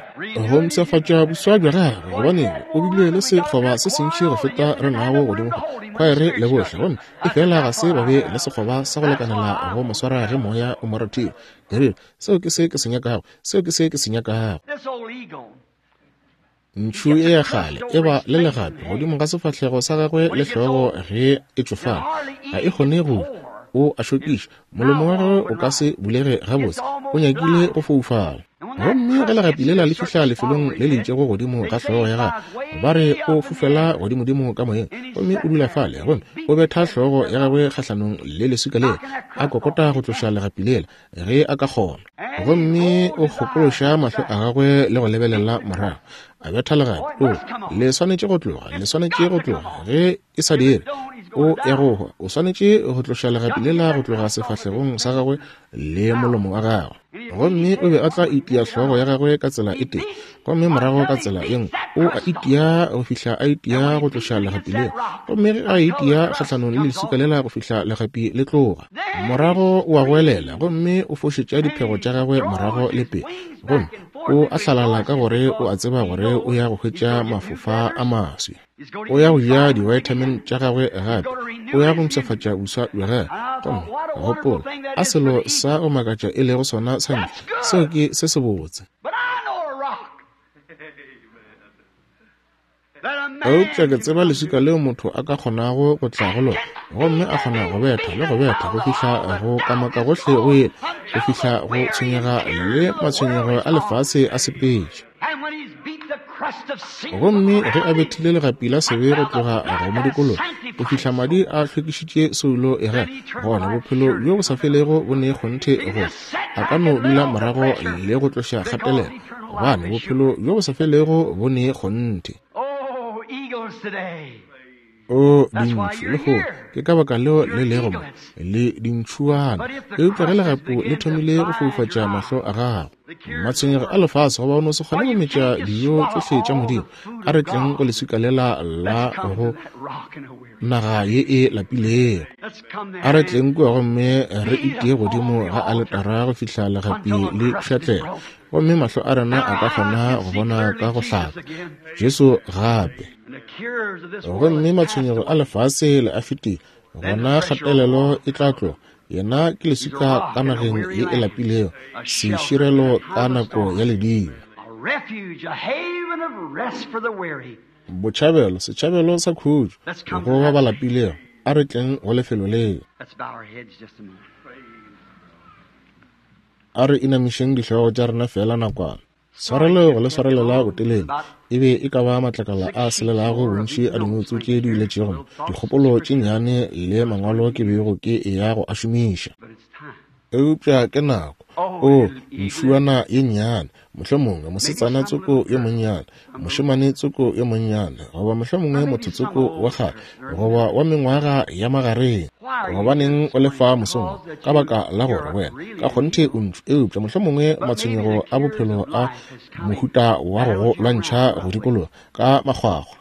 Go mpshafatša boswa bja gagwe, gobane o bile le sekgoba se sentši go feta re nago godimo fa, khwaere le bohle, gomme efela ga se ba be le sekgoba sa go lekanela go mo swara ge Moya o mo rathile. Ke rile, Seo ke se ke se nyakago. Seo ke se ke se nyakago. Ntšhu ye ya kgale e ba le legapi godimo ga sefahlego sa gagwe le hlogo ge e tšofala. Ga e kgone go o a šokiša. Molomo wa gagwe o ka se bulege gabotse. O nyakile go foufala. Gomme ge legapi lela le fihla lefelong le le itšego godimo ga hlogo ya gagwe, ba re o fofela godimodimo ka moyeng, gomme o dula fale, gomme o betha hlogo ya gagwe kgahlanong le leswika lela, a kokota go tloša legapi lela ge a ka kgona. Gomme o kgokološa mahlo a gagwe le go lebelela morago, a betha legapi. O, le swanetše go tloga, le swanetše go tloga. Ge e sa dire, o ya go hwa. O swanetše go tloša legapi lela go tloga sefahlegong sa gagwe le molomo wa gagwe. Gomme o be a tla itia hlogo ya gagwe ka tsela e tee, gomme morago ka tsela e nngwe. O a itia go fihla a itia go tloša legapi lela. Gomme ge a itia kgahlanong le leswika lela go fihla legapi le tloga, morago o a goelela gomme o fošetša diphego tša gagwe morago le pele, gomme o a hlalala ka gore o a tseba gore o ya go hwetša mafofa a maswi. O ya go ja di-vitamin tša gagwe gape. O ya go mpshafatša boswa bja gagwe. Gomme gopola, a selo sa go makatša e lego sona sa ntšhu. Seo ke se sebotse. Eupša ke tseba leswika leo motho a ka kgonago go tla go lona, gomme a kgona go betha le go betha go fihla go kamaka gohle go yela, go fihla go tshwenyega le matshwenyego a lefase a sepetše. Gomme ge a bethile legapi la sebe go tloga go modikologo go fihla madi a hlwekišitše soulo ya gagwe, gona bophelo bjo bo sa felego bo ne kgonthe gore a ka no dula morago le go tloša kgatelelo, gobane bophelo bjo bo sa felego bo ne kgonthe. O dintšhu lehono, ke ka baka leo le lego mo, le dintšhuana. Eupša ge legapu le thomile go foufatša mahlo a gago, matshwenyego a lefase, goba o no se kgone go metša dijo tšohle tša Modimo, a re tleng go leswika lela la go naga ye e lapilego. A re tleng kua gomme re itie godimo ga aletara go fihla legapi le pšhatlega, gomme mahlo a rena a ka kgona go bona ka go hlaka Jesu gape. Gomme matshwenyego a lefase le a fetile, gona kgatelelo e tla tloga. Yena ke leswika ka nageng ye e lapilego, seširelo ka nako ya ledimo. Botšhabelo, setšhabelo sa khutšo go ba ba lapilego. A re tleng go lefelo leo. A re inamišeng dihlogo tša rena feela nakwana. Tshwarelo go le swarelela botelele e be e ka ba matlakala a selelago bontši a dinoutsu tše di iletšego mo, dikgopolo tše nnyane le mangwalo ke bego ke eya go a šomiša. Eupša ke nako. Oo, ntšhuana ye nnyane, mohlomongwe mosetsana tsoko yo monnyane, mošemane tsoko yo monnyane, goba mohlomongwe motho tsoko wa kgale, goba wa mengwaga ya magareng. Gobaneng o le fa mosong wo? Ka baka la gore wena ka kgonthe o ntšu, eupša mohlomongwe matshwenyego a bophelo a mohuta wa go go lwantšha go dikologa ka makgwakgwa.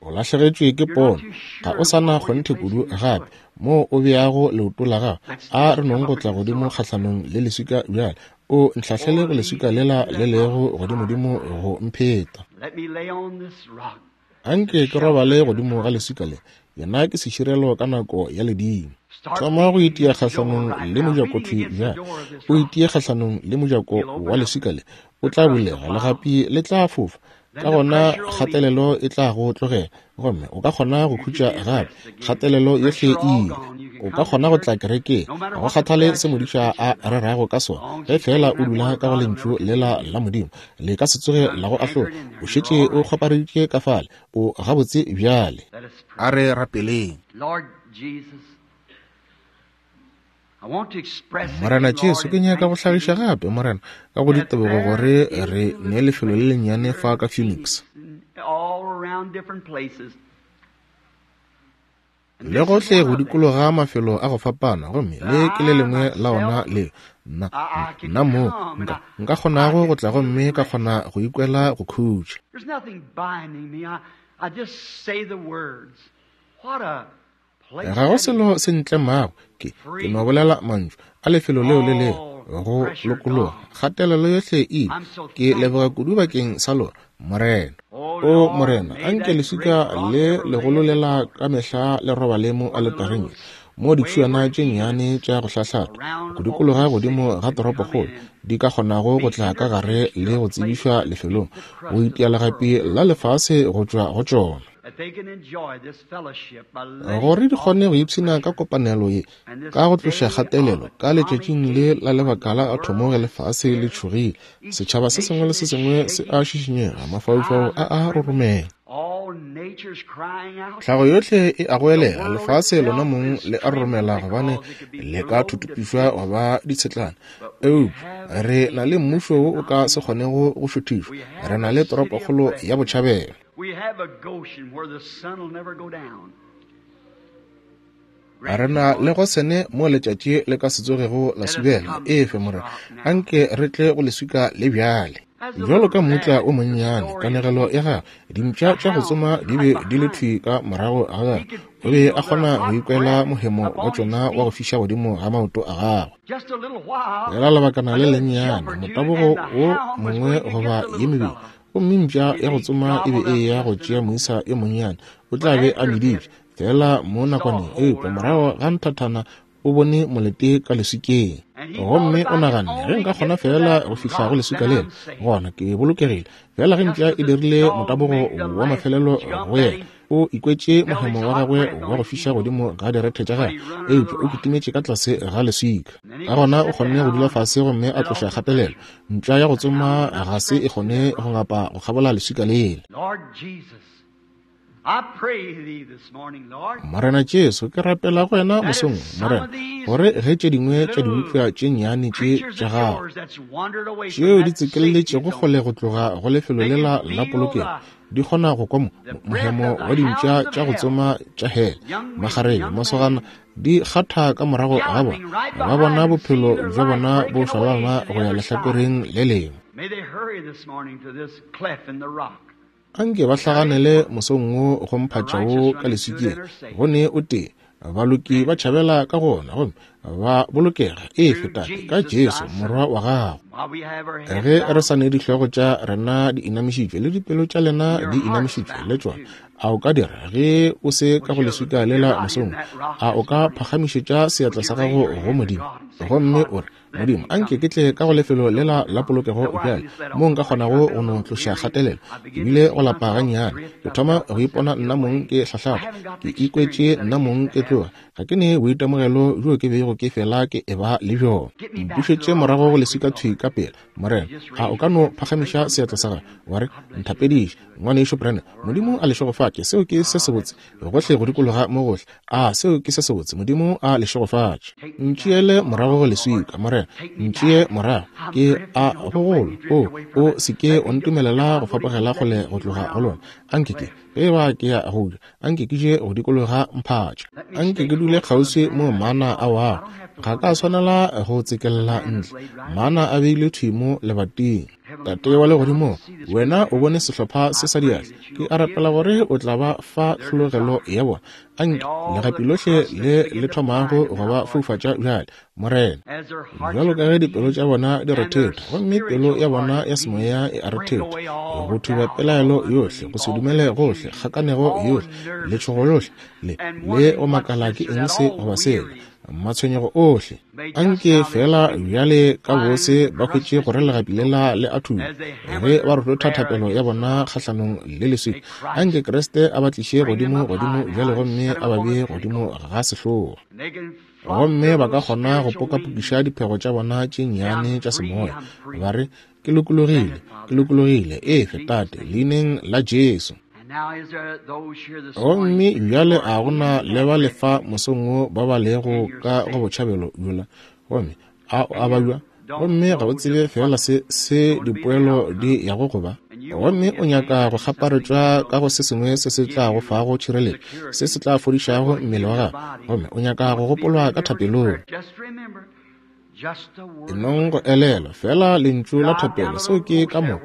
O lahlegetšwe ke pono, ga o sa na kgonthe kudu gape moo o beago leoto la gago. A re nong go tla godimo kgahlanong le leswika bjale. O ntlhahlele go leswika lela le lego godimodimo go mpheta. Anke ke robale godimo ga leswika le. Yena ke seširelo ka nako ya ledimo. Thoma go itia kgahlanong le mojako thwi bjale. O itie kgahlanong le mojako wa leswika le. O tla bulega, legapi le tla fofa. Ka gona kgatelelo e tla go tlogela, gomme o ka kgona go khutša gape. Kgatelelo yohle e ile. O ka kgona go tla kerekeng, ga go kgathale se modiša a rerago ka sona, ge feela o dula ka go Lentšu lela la Modimo, le ka se tsoge la go ahlola. O šetše o kgwapareditše ka fale. O gabotse bjale. A re rapeleng. Morena Jesu, ke nyaka go hlagiša gape, Morena, ka go ditebogo gore re ne lefelo le lennyane fa ka Phoenix. Le gohle go dikologa mafelo a go fapana, gomme le ke le lengwe la ona leo nna, nna moo nka, nka kgonago go tla gomme ka kgona go ikwela go khutša. Ga go selo se ntlemago, ke no bolela mantšu a lefelo leo le leo go lokologa. Kgatelelo yohle e ile. Ke leboga kudu bakeng sa lona, Morena. O Morena, anke leswika le legolo lela ka mehla le robale mo aletareng ye, mo ditšhuana tše nnyane tša go hlahlata go dikologa godimo ga toropokgolo di ka kgonago go tla ka gare le go tsebišwa lefelong go itia legapi la lefase go tšwa go tšona, gore di kgone go ipshina ka kopanelo ye ka go tloša kgatelelo ka letšatšing le la lebaka la athomo ge lefase le tšhogile. Setšhaba se sengwe le se sengwe se a šišinyega, mafaufau a a roromela. Tlhago yohle e a goelela, lefase lona mong le a roromela gobane le ka thuthupišwa gwa ba ditshetlana. Eupša re na le mmušo wo o ka se kgonego go šuthišwa. Re na le toropokgolo ya botšhabelo. Re na le Gosene mo letšatši le ka se tsogego la subela. Efe, Morena, anke re tle go leswika le bjale. Bjalo ka mmutla o monnyane, kanegelo ya gagwe, dimpša tša go tsoma di be di le thwi ka morago ga gagwe. O be a kgona go ikwela mohemo wa tšona wa go fiša godimo ga maoto a gagwe. Fela lebakana le lennyane, motabogo wo mongwe goba ye mebedi, gomme mpša ya go tsoma e be e eya go tšea moisa yo monnyane. O tla be a meditše fela mo nakwaneng, eupša morago ga nthathana o bone molete ka leswikeng. Gomme o naganne, ge nka kgona fela go fihla go leswika lela, gona ke bolokegile. Fela ge mpša e dirile motabogo wa mafelelo go yena, o ikwetše mohemo wa gagwe wa go fiša godimo ga direthe tša gagwe, eupša o kitimetše ka tlase ga leswika. Ka gona o kgonne go dula fase gomme a tloša kgatelelo. Mpša ya go tsoma ga se e kgone go ngapa go kgabola leswika lela. Morena Jesu, ke rapela go wena mosong, Morena, gore ge tše dingwe tša dibopša tše nnyane tše tša gago tšeo di tsekeletšego kgole go tloga go lefelo lela la polokego di kgona go kwa mohemo wa dimpša tša go tsoma tša hele, magareng, masogana, di kgatha ka morago ga bona, ba bona bophelo bja bona bo šwalana go ya lehlakoreng le lengwe. Anke ba hlaganele mosong wo go mphatša wo ka leswikeng, go ne o tee, baloki ba tšhabela ka go ona gomme ba bolokega. Efe, Tate, ka Jesu Morwa wa gago. Ge re sa ne dihlogo tša rena di inamišitšwe le dipelo tša lena di inamišitšwe le tšona, a o ka dira ge o se ka go leswika lela mosong, a o ka phagamišetša seatla sa gago go Modimo gomme o re, Modimo, anke ke tle ka go lefelo lela la polokego bjale, moo nka kgonago go no tloša kgatelelo. Ke bile go lapa gannyane. Ke thoma go ipona nna mong ke hlahlapa. Ke ikwetše nna mong ke tloga. Ga ke ne boitemogelo bjo ke bego ke fela ke eba le bjona. Mpušetše morago go leswika thwi ka pela, Morena. A o ka no phagamiša seatla sa gago, wa re, Nthapediše, Ngwanešu Branham. Modimo a le šegofatše. Seo ke se sebotse. Gohle go dikologa mo gohle. A seo ke se sebotse. Modimo a le šegofatše. Ntšeele morago go leswika, Morena. Ntšee morago. Ke a gogolo. O, o se ke o ntumelela go fapogela kgole go tloga go lona. Anke ke, ge eba ke ya go ja, anke ke je go dikologa mphatša. Anke ke dule kgauswi mo mana a wago. Ga ka swanela go tsekelela ntle. Mana a beilwe thwi mo lebating. Tate wa Legodimong, Wena o bone sehlopha se sa diatla. Ke a rapela gore o tla ba fa tlhologelo ya bona. Anke legapi lohle le le thomago go ba foufatša bjale, Morena. Bjalo ka ge dipelo tša bona di rethetha, gomme pelo ya bona ya semoya e a rethetha, go thuba pelaelo yohle, go se dumele gohle, kgakanego yohle, letšhogo lohle, le, le go makala ke eng se goba sela, matshwenyego ohle. Anke fela bjale ka bose ba hwetše gore legapi lela le a thuba ge ba rototha thapelo ya bona kgahlanong le leswika. Anke Kriste a ba tliše godimo godimo bjale gomme a ba bee godimo ga sehloa, gomme ba ka kgona go pokapokiša diphego tša bona tše nnyane tša semoya, ba re, Ke lokologile, ke lokologile, efe, Tate, leineng la Jesu. Gomme bjale a go na le ba lefa mosong wo ba ba lego ka go botšhabelo bjola, gomme a o a babja, gomme ga o tsebe feela se, se dipoelo di yago go ba, gomme o nyaka go kgaparetšwa ka go se sengwe se se tla go fago tšhireletšo, se se tla fodišago mmele wa gago, gomme o nyaka go gopolwa ka thapelong. Enong go elelwa fela lentšu la thapelo, seo ke ka mo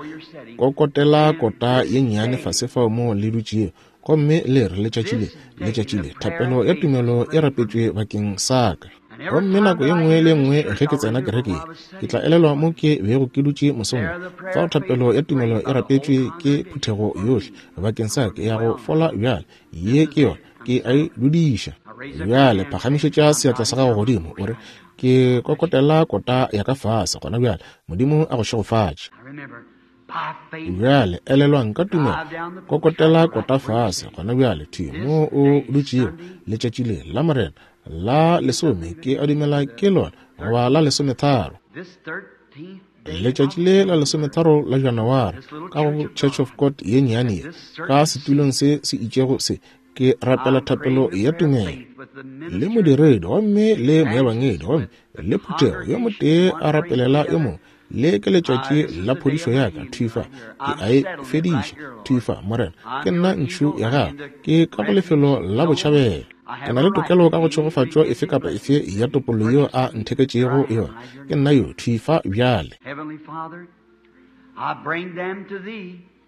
kokotela kota ye nnyane fase fao mo le dutšego. Gomme le re, Letšatši le, letšatši le, thapelo ya tumelo e rapetšwe bakeng sa ka. Gomme nako ye nngwe le ye nngwe ge ke tsena kereke ye, ke tla elelwa mo ke bego ke dutše mosong wo, fao thapelo ya tumelo e rapetšwe ke phuthego yohle bakeng sa ka, ya go fola bjale. Ye ke yona, ke a e dudiša. Bjale phagamišetša seatla sa gago godimo, o re, Ke kokotela kota ya ka fase gona bjale. Modimo a go šegofatše. Bjale elelwang ka tumelo, kokotela kota fase gona bjale, thwi mo o dutšego. Letšatši le la Morena la lesome, ke a dumela ke lona, goba la lesometharo. Letšatši le la lesometharo la Janaware, ka go Church of God ye nnyane ye, ka setulong se se itšego se, ke rapela thapelo ya tumelo le modiredi gomme le moebangedi gomme le phuthego, yo motee a rapelela yo mongwe. Le ke letšatši la phodišo ya ka, thwi fa. Ke a e fediša, thwi fa, Morena. Ke nna ntšhu ya Gago. Ke ka go lefelo la botšhabelo. Ke na le tokelo ka go tšhegofatšo efe kapa efe ya topollo yeo A ntheketšego yona. Ke nna yo, thwi fa bjale.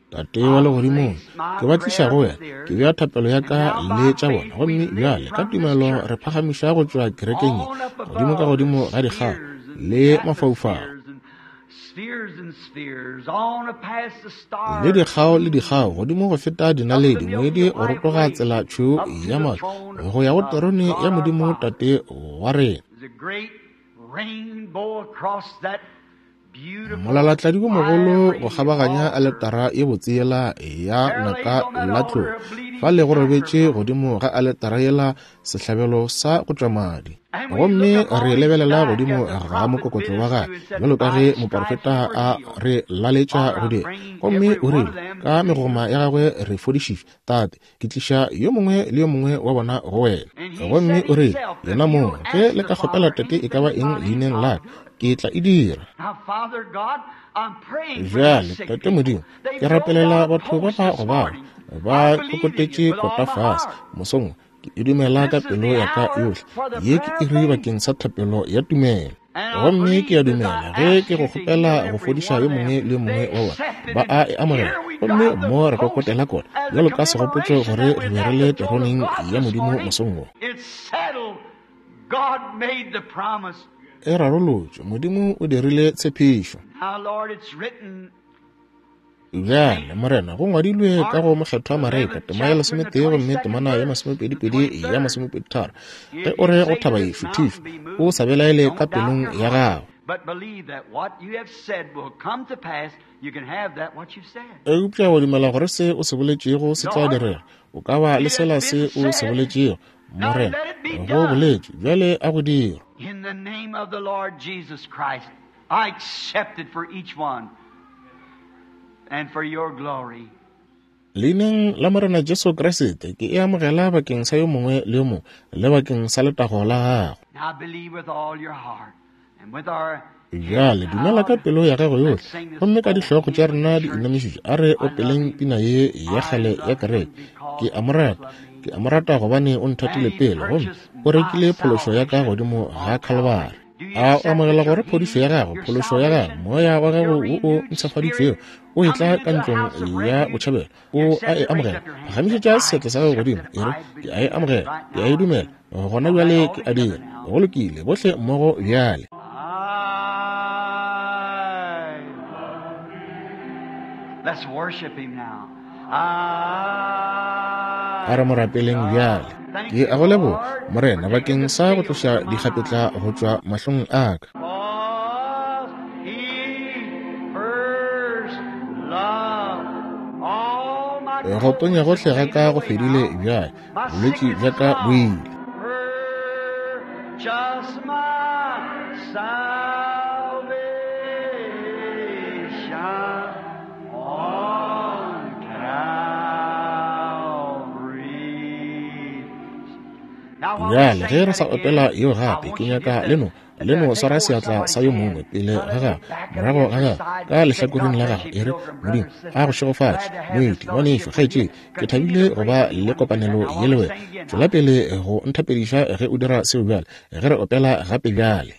Tate wa Legodimong, ke ba tliša go Wena. Ke bea thapelo ya ka le tša bona. Gomme bjale, ka tumelo, re phagamiša go tšwa kerekeng ye, godimo ka godimo ga dikgao le mafaufau, le dikgao le dikgao, godimo go feta dinaledi, moedi go rotoga tsela tšhweu ya maru, go ya go terone ya Modimo Tate wa rena. Molalatladi wo mogolo go kgabaganya aletara ye botse yela ya naka la tlou. Fale go robetše godimo ga aletara yela sehlabelo sa go tšwa madi. Gomme re lebelela godimo ga mokokotlo wa gagwe, bjalo ka ge moporofeta a re laletša go dira. Gomme o rile, Ka megoma ya gagwe re fodišitšwe. Tate, ke tliša yo mongwe le yo mongwe wa bona go wena. Gomme o rile, Yena mong, ge le ka kgopela Tate e ka ba eng leineng la ka, ke tla e dira. Bjale, Tate Modimo, ke rapelela batho ba ba gobago, ba kokotetše kota fase mosong wo. Ke e dumela ka pelo ya ka yohle. Ye ke iri bakeng sa thapelo ya tumelo. Gomme ke a dumela ge ke go kgopela go fodiša yo mongwe le yo mongwe wa bona, ba a e amogela. Gomme mo re kokotela kota bjalo ka segopotšo gore re be re le teroneng ya Modimo mosong wo. E rarolotšwe. Modimo o dirile tshepišo. Bjale, Morena, go ngwadilwe ka go Mokgethwa Mareka, tema ya lesometee gomme temana ya masomepedipedi ya masomepeditharo, ge o re go thaba ye, Šuthišwa, o sa belaele ka pelong ya gago. Eupša wa dumela gore se o se boletšego se tla direga, o ka ba le sela se o se boletšego. Morena, go boletšwe, bjale a go dirwe. In the name of the Lord Jesus Christ, I accept it for each one and for your glory. Leineng la Morena Jesu Kriste, ke e amogela bakeng sa yo mongwe le yo mongwe le bakeng sa letago la gago. Now believe with all your heart and with our Bjale dumela ka pelo ya gago yohle, gomme ka dihlogo tša rena di inamišitšwe, a re opeleng pina ye ya kgale ya kereke. Ke a mo rata, ke a mo rata gobane o nthatile pele, gomme o rekile phološo ya ka godimo ga Khalibari. A o amogela gore phodišo ya gago, phološo ya gago, moya wa gago wo o mpshafaditšwego o etla ka ntlong ya botšhabelo, o a e amogela? Phagamišetša seatla sa gago godimo, e re, Ke a e amogela, ke a e dumela, gona bjale ke a dira. Go lokile, bohle mmogo bjale. Let's worship him now. A re mo rapeleng bjale. Ke a go leboga, Morena, bakeng sa go tloša dikgapetla go tšwa mahlong a ka. Go tonya gohle ga ka go fedile bjale, bolwetši bja ka bo ile. Just my salvation. Bjale ge re sa opela yeo gape, ke nyaka le no, le no swara seatla sa yo mongwe pele ga gago, morago ga gago, ka lehlakoreng la gago, e re, Modimo a go šegofatše, moeti, ngwanešu, kgaetšedi. Ke thabile go ba le kopanelo ye le wena. Tšwela pele go nthapediša ge o dira seo bjale, ge re opela gape bjale.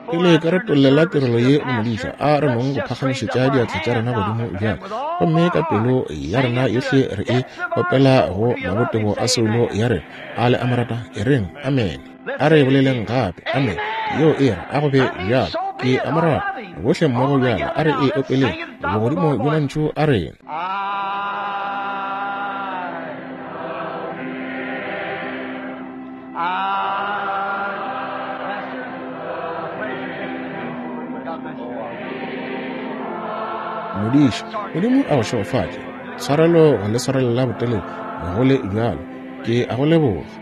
Pele ka re tollela tirelo ye go modiša, a re nong go phagamišetša diatla tša rena godimo bjale, gomme ka pelo ya rena yohle re e opela go mabotebo a soulo ya rena. A le a mo rata? E reng, Amene. A re boleleng gape, Amene. Yeo e re, a go be bjalo. Ke a mo rata. Bohle mmogo bjale, a re e opeleng bogodimo bjo mantšu a rena. Modiši, Modimo a go šegofatše. Tshwarelo go le swarelela botelele go le bjalo. Ke a go leboga.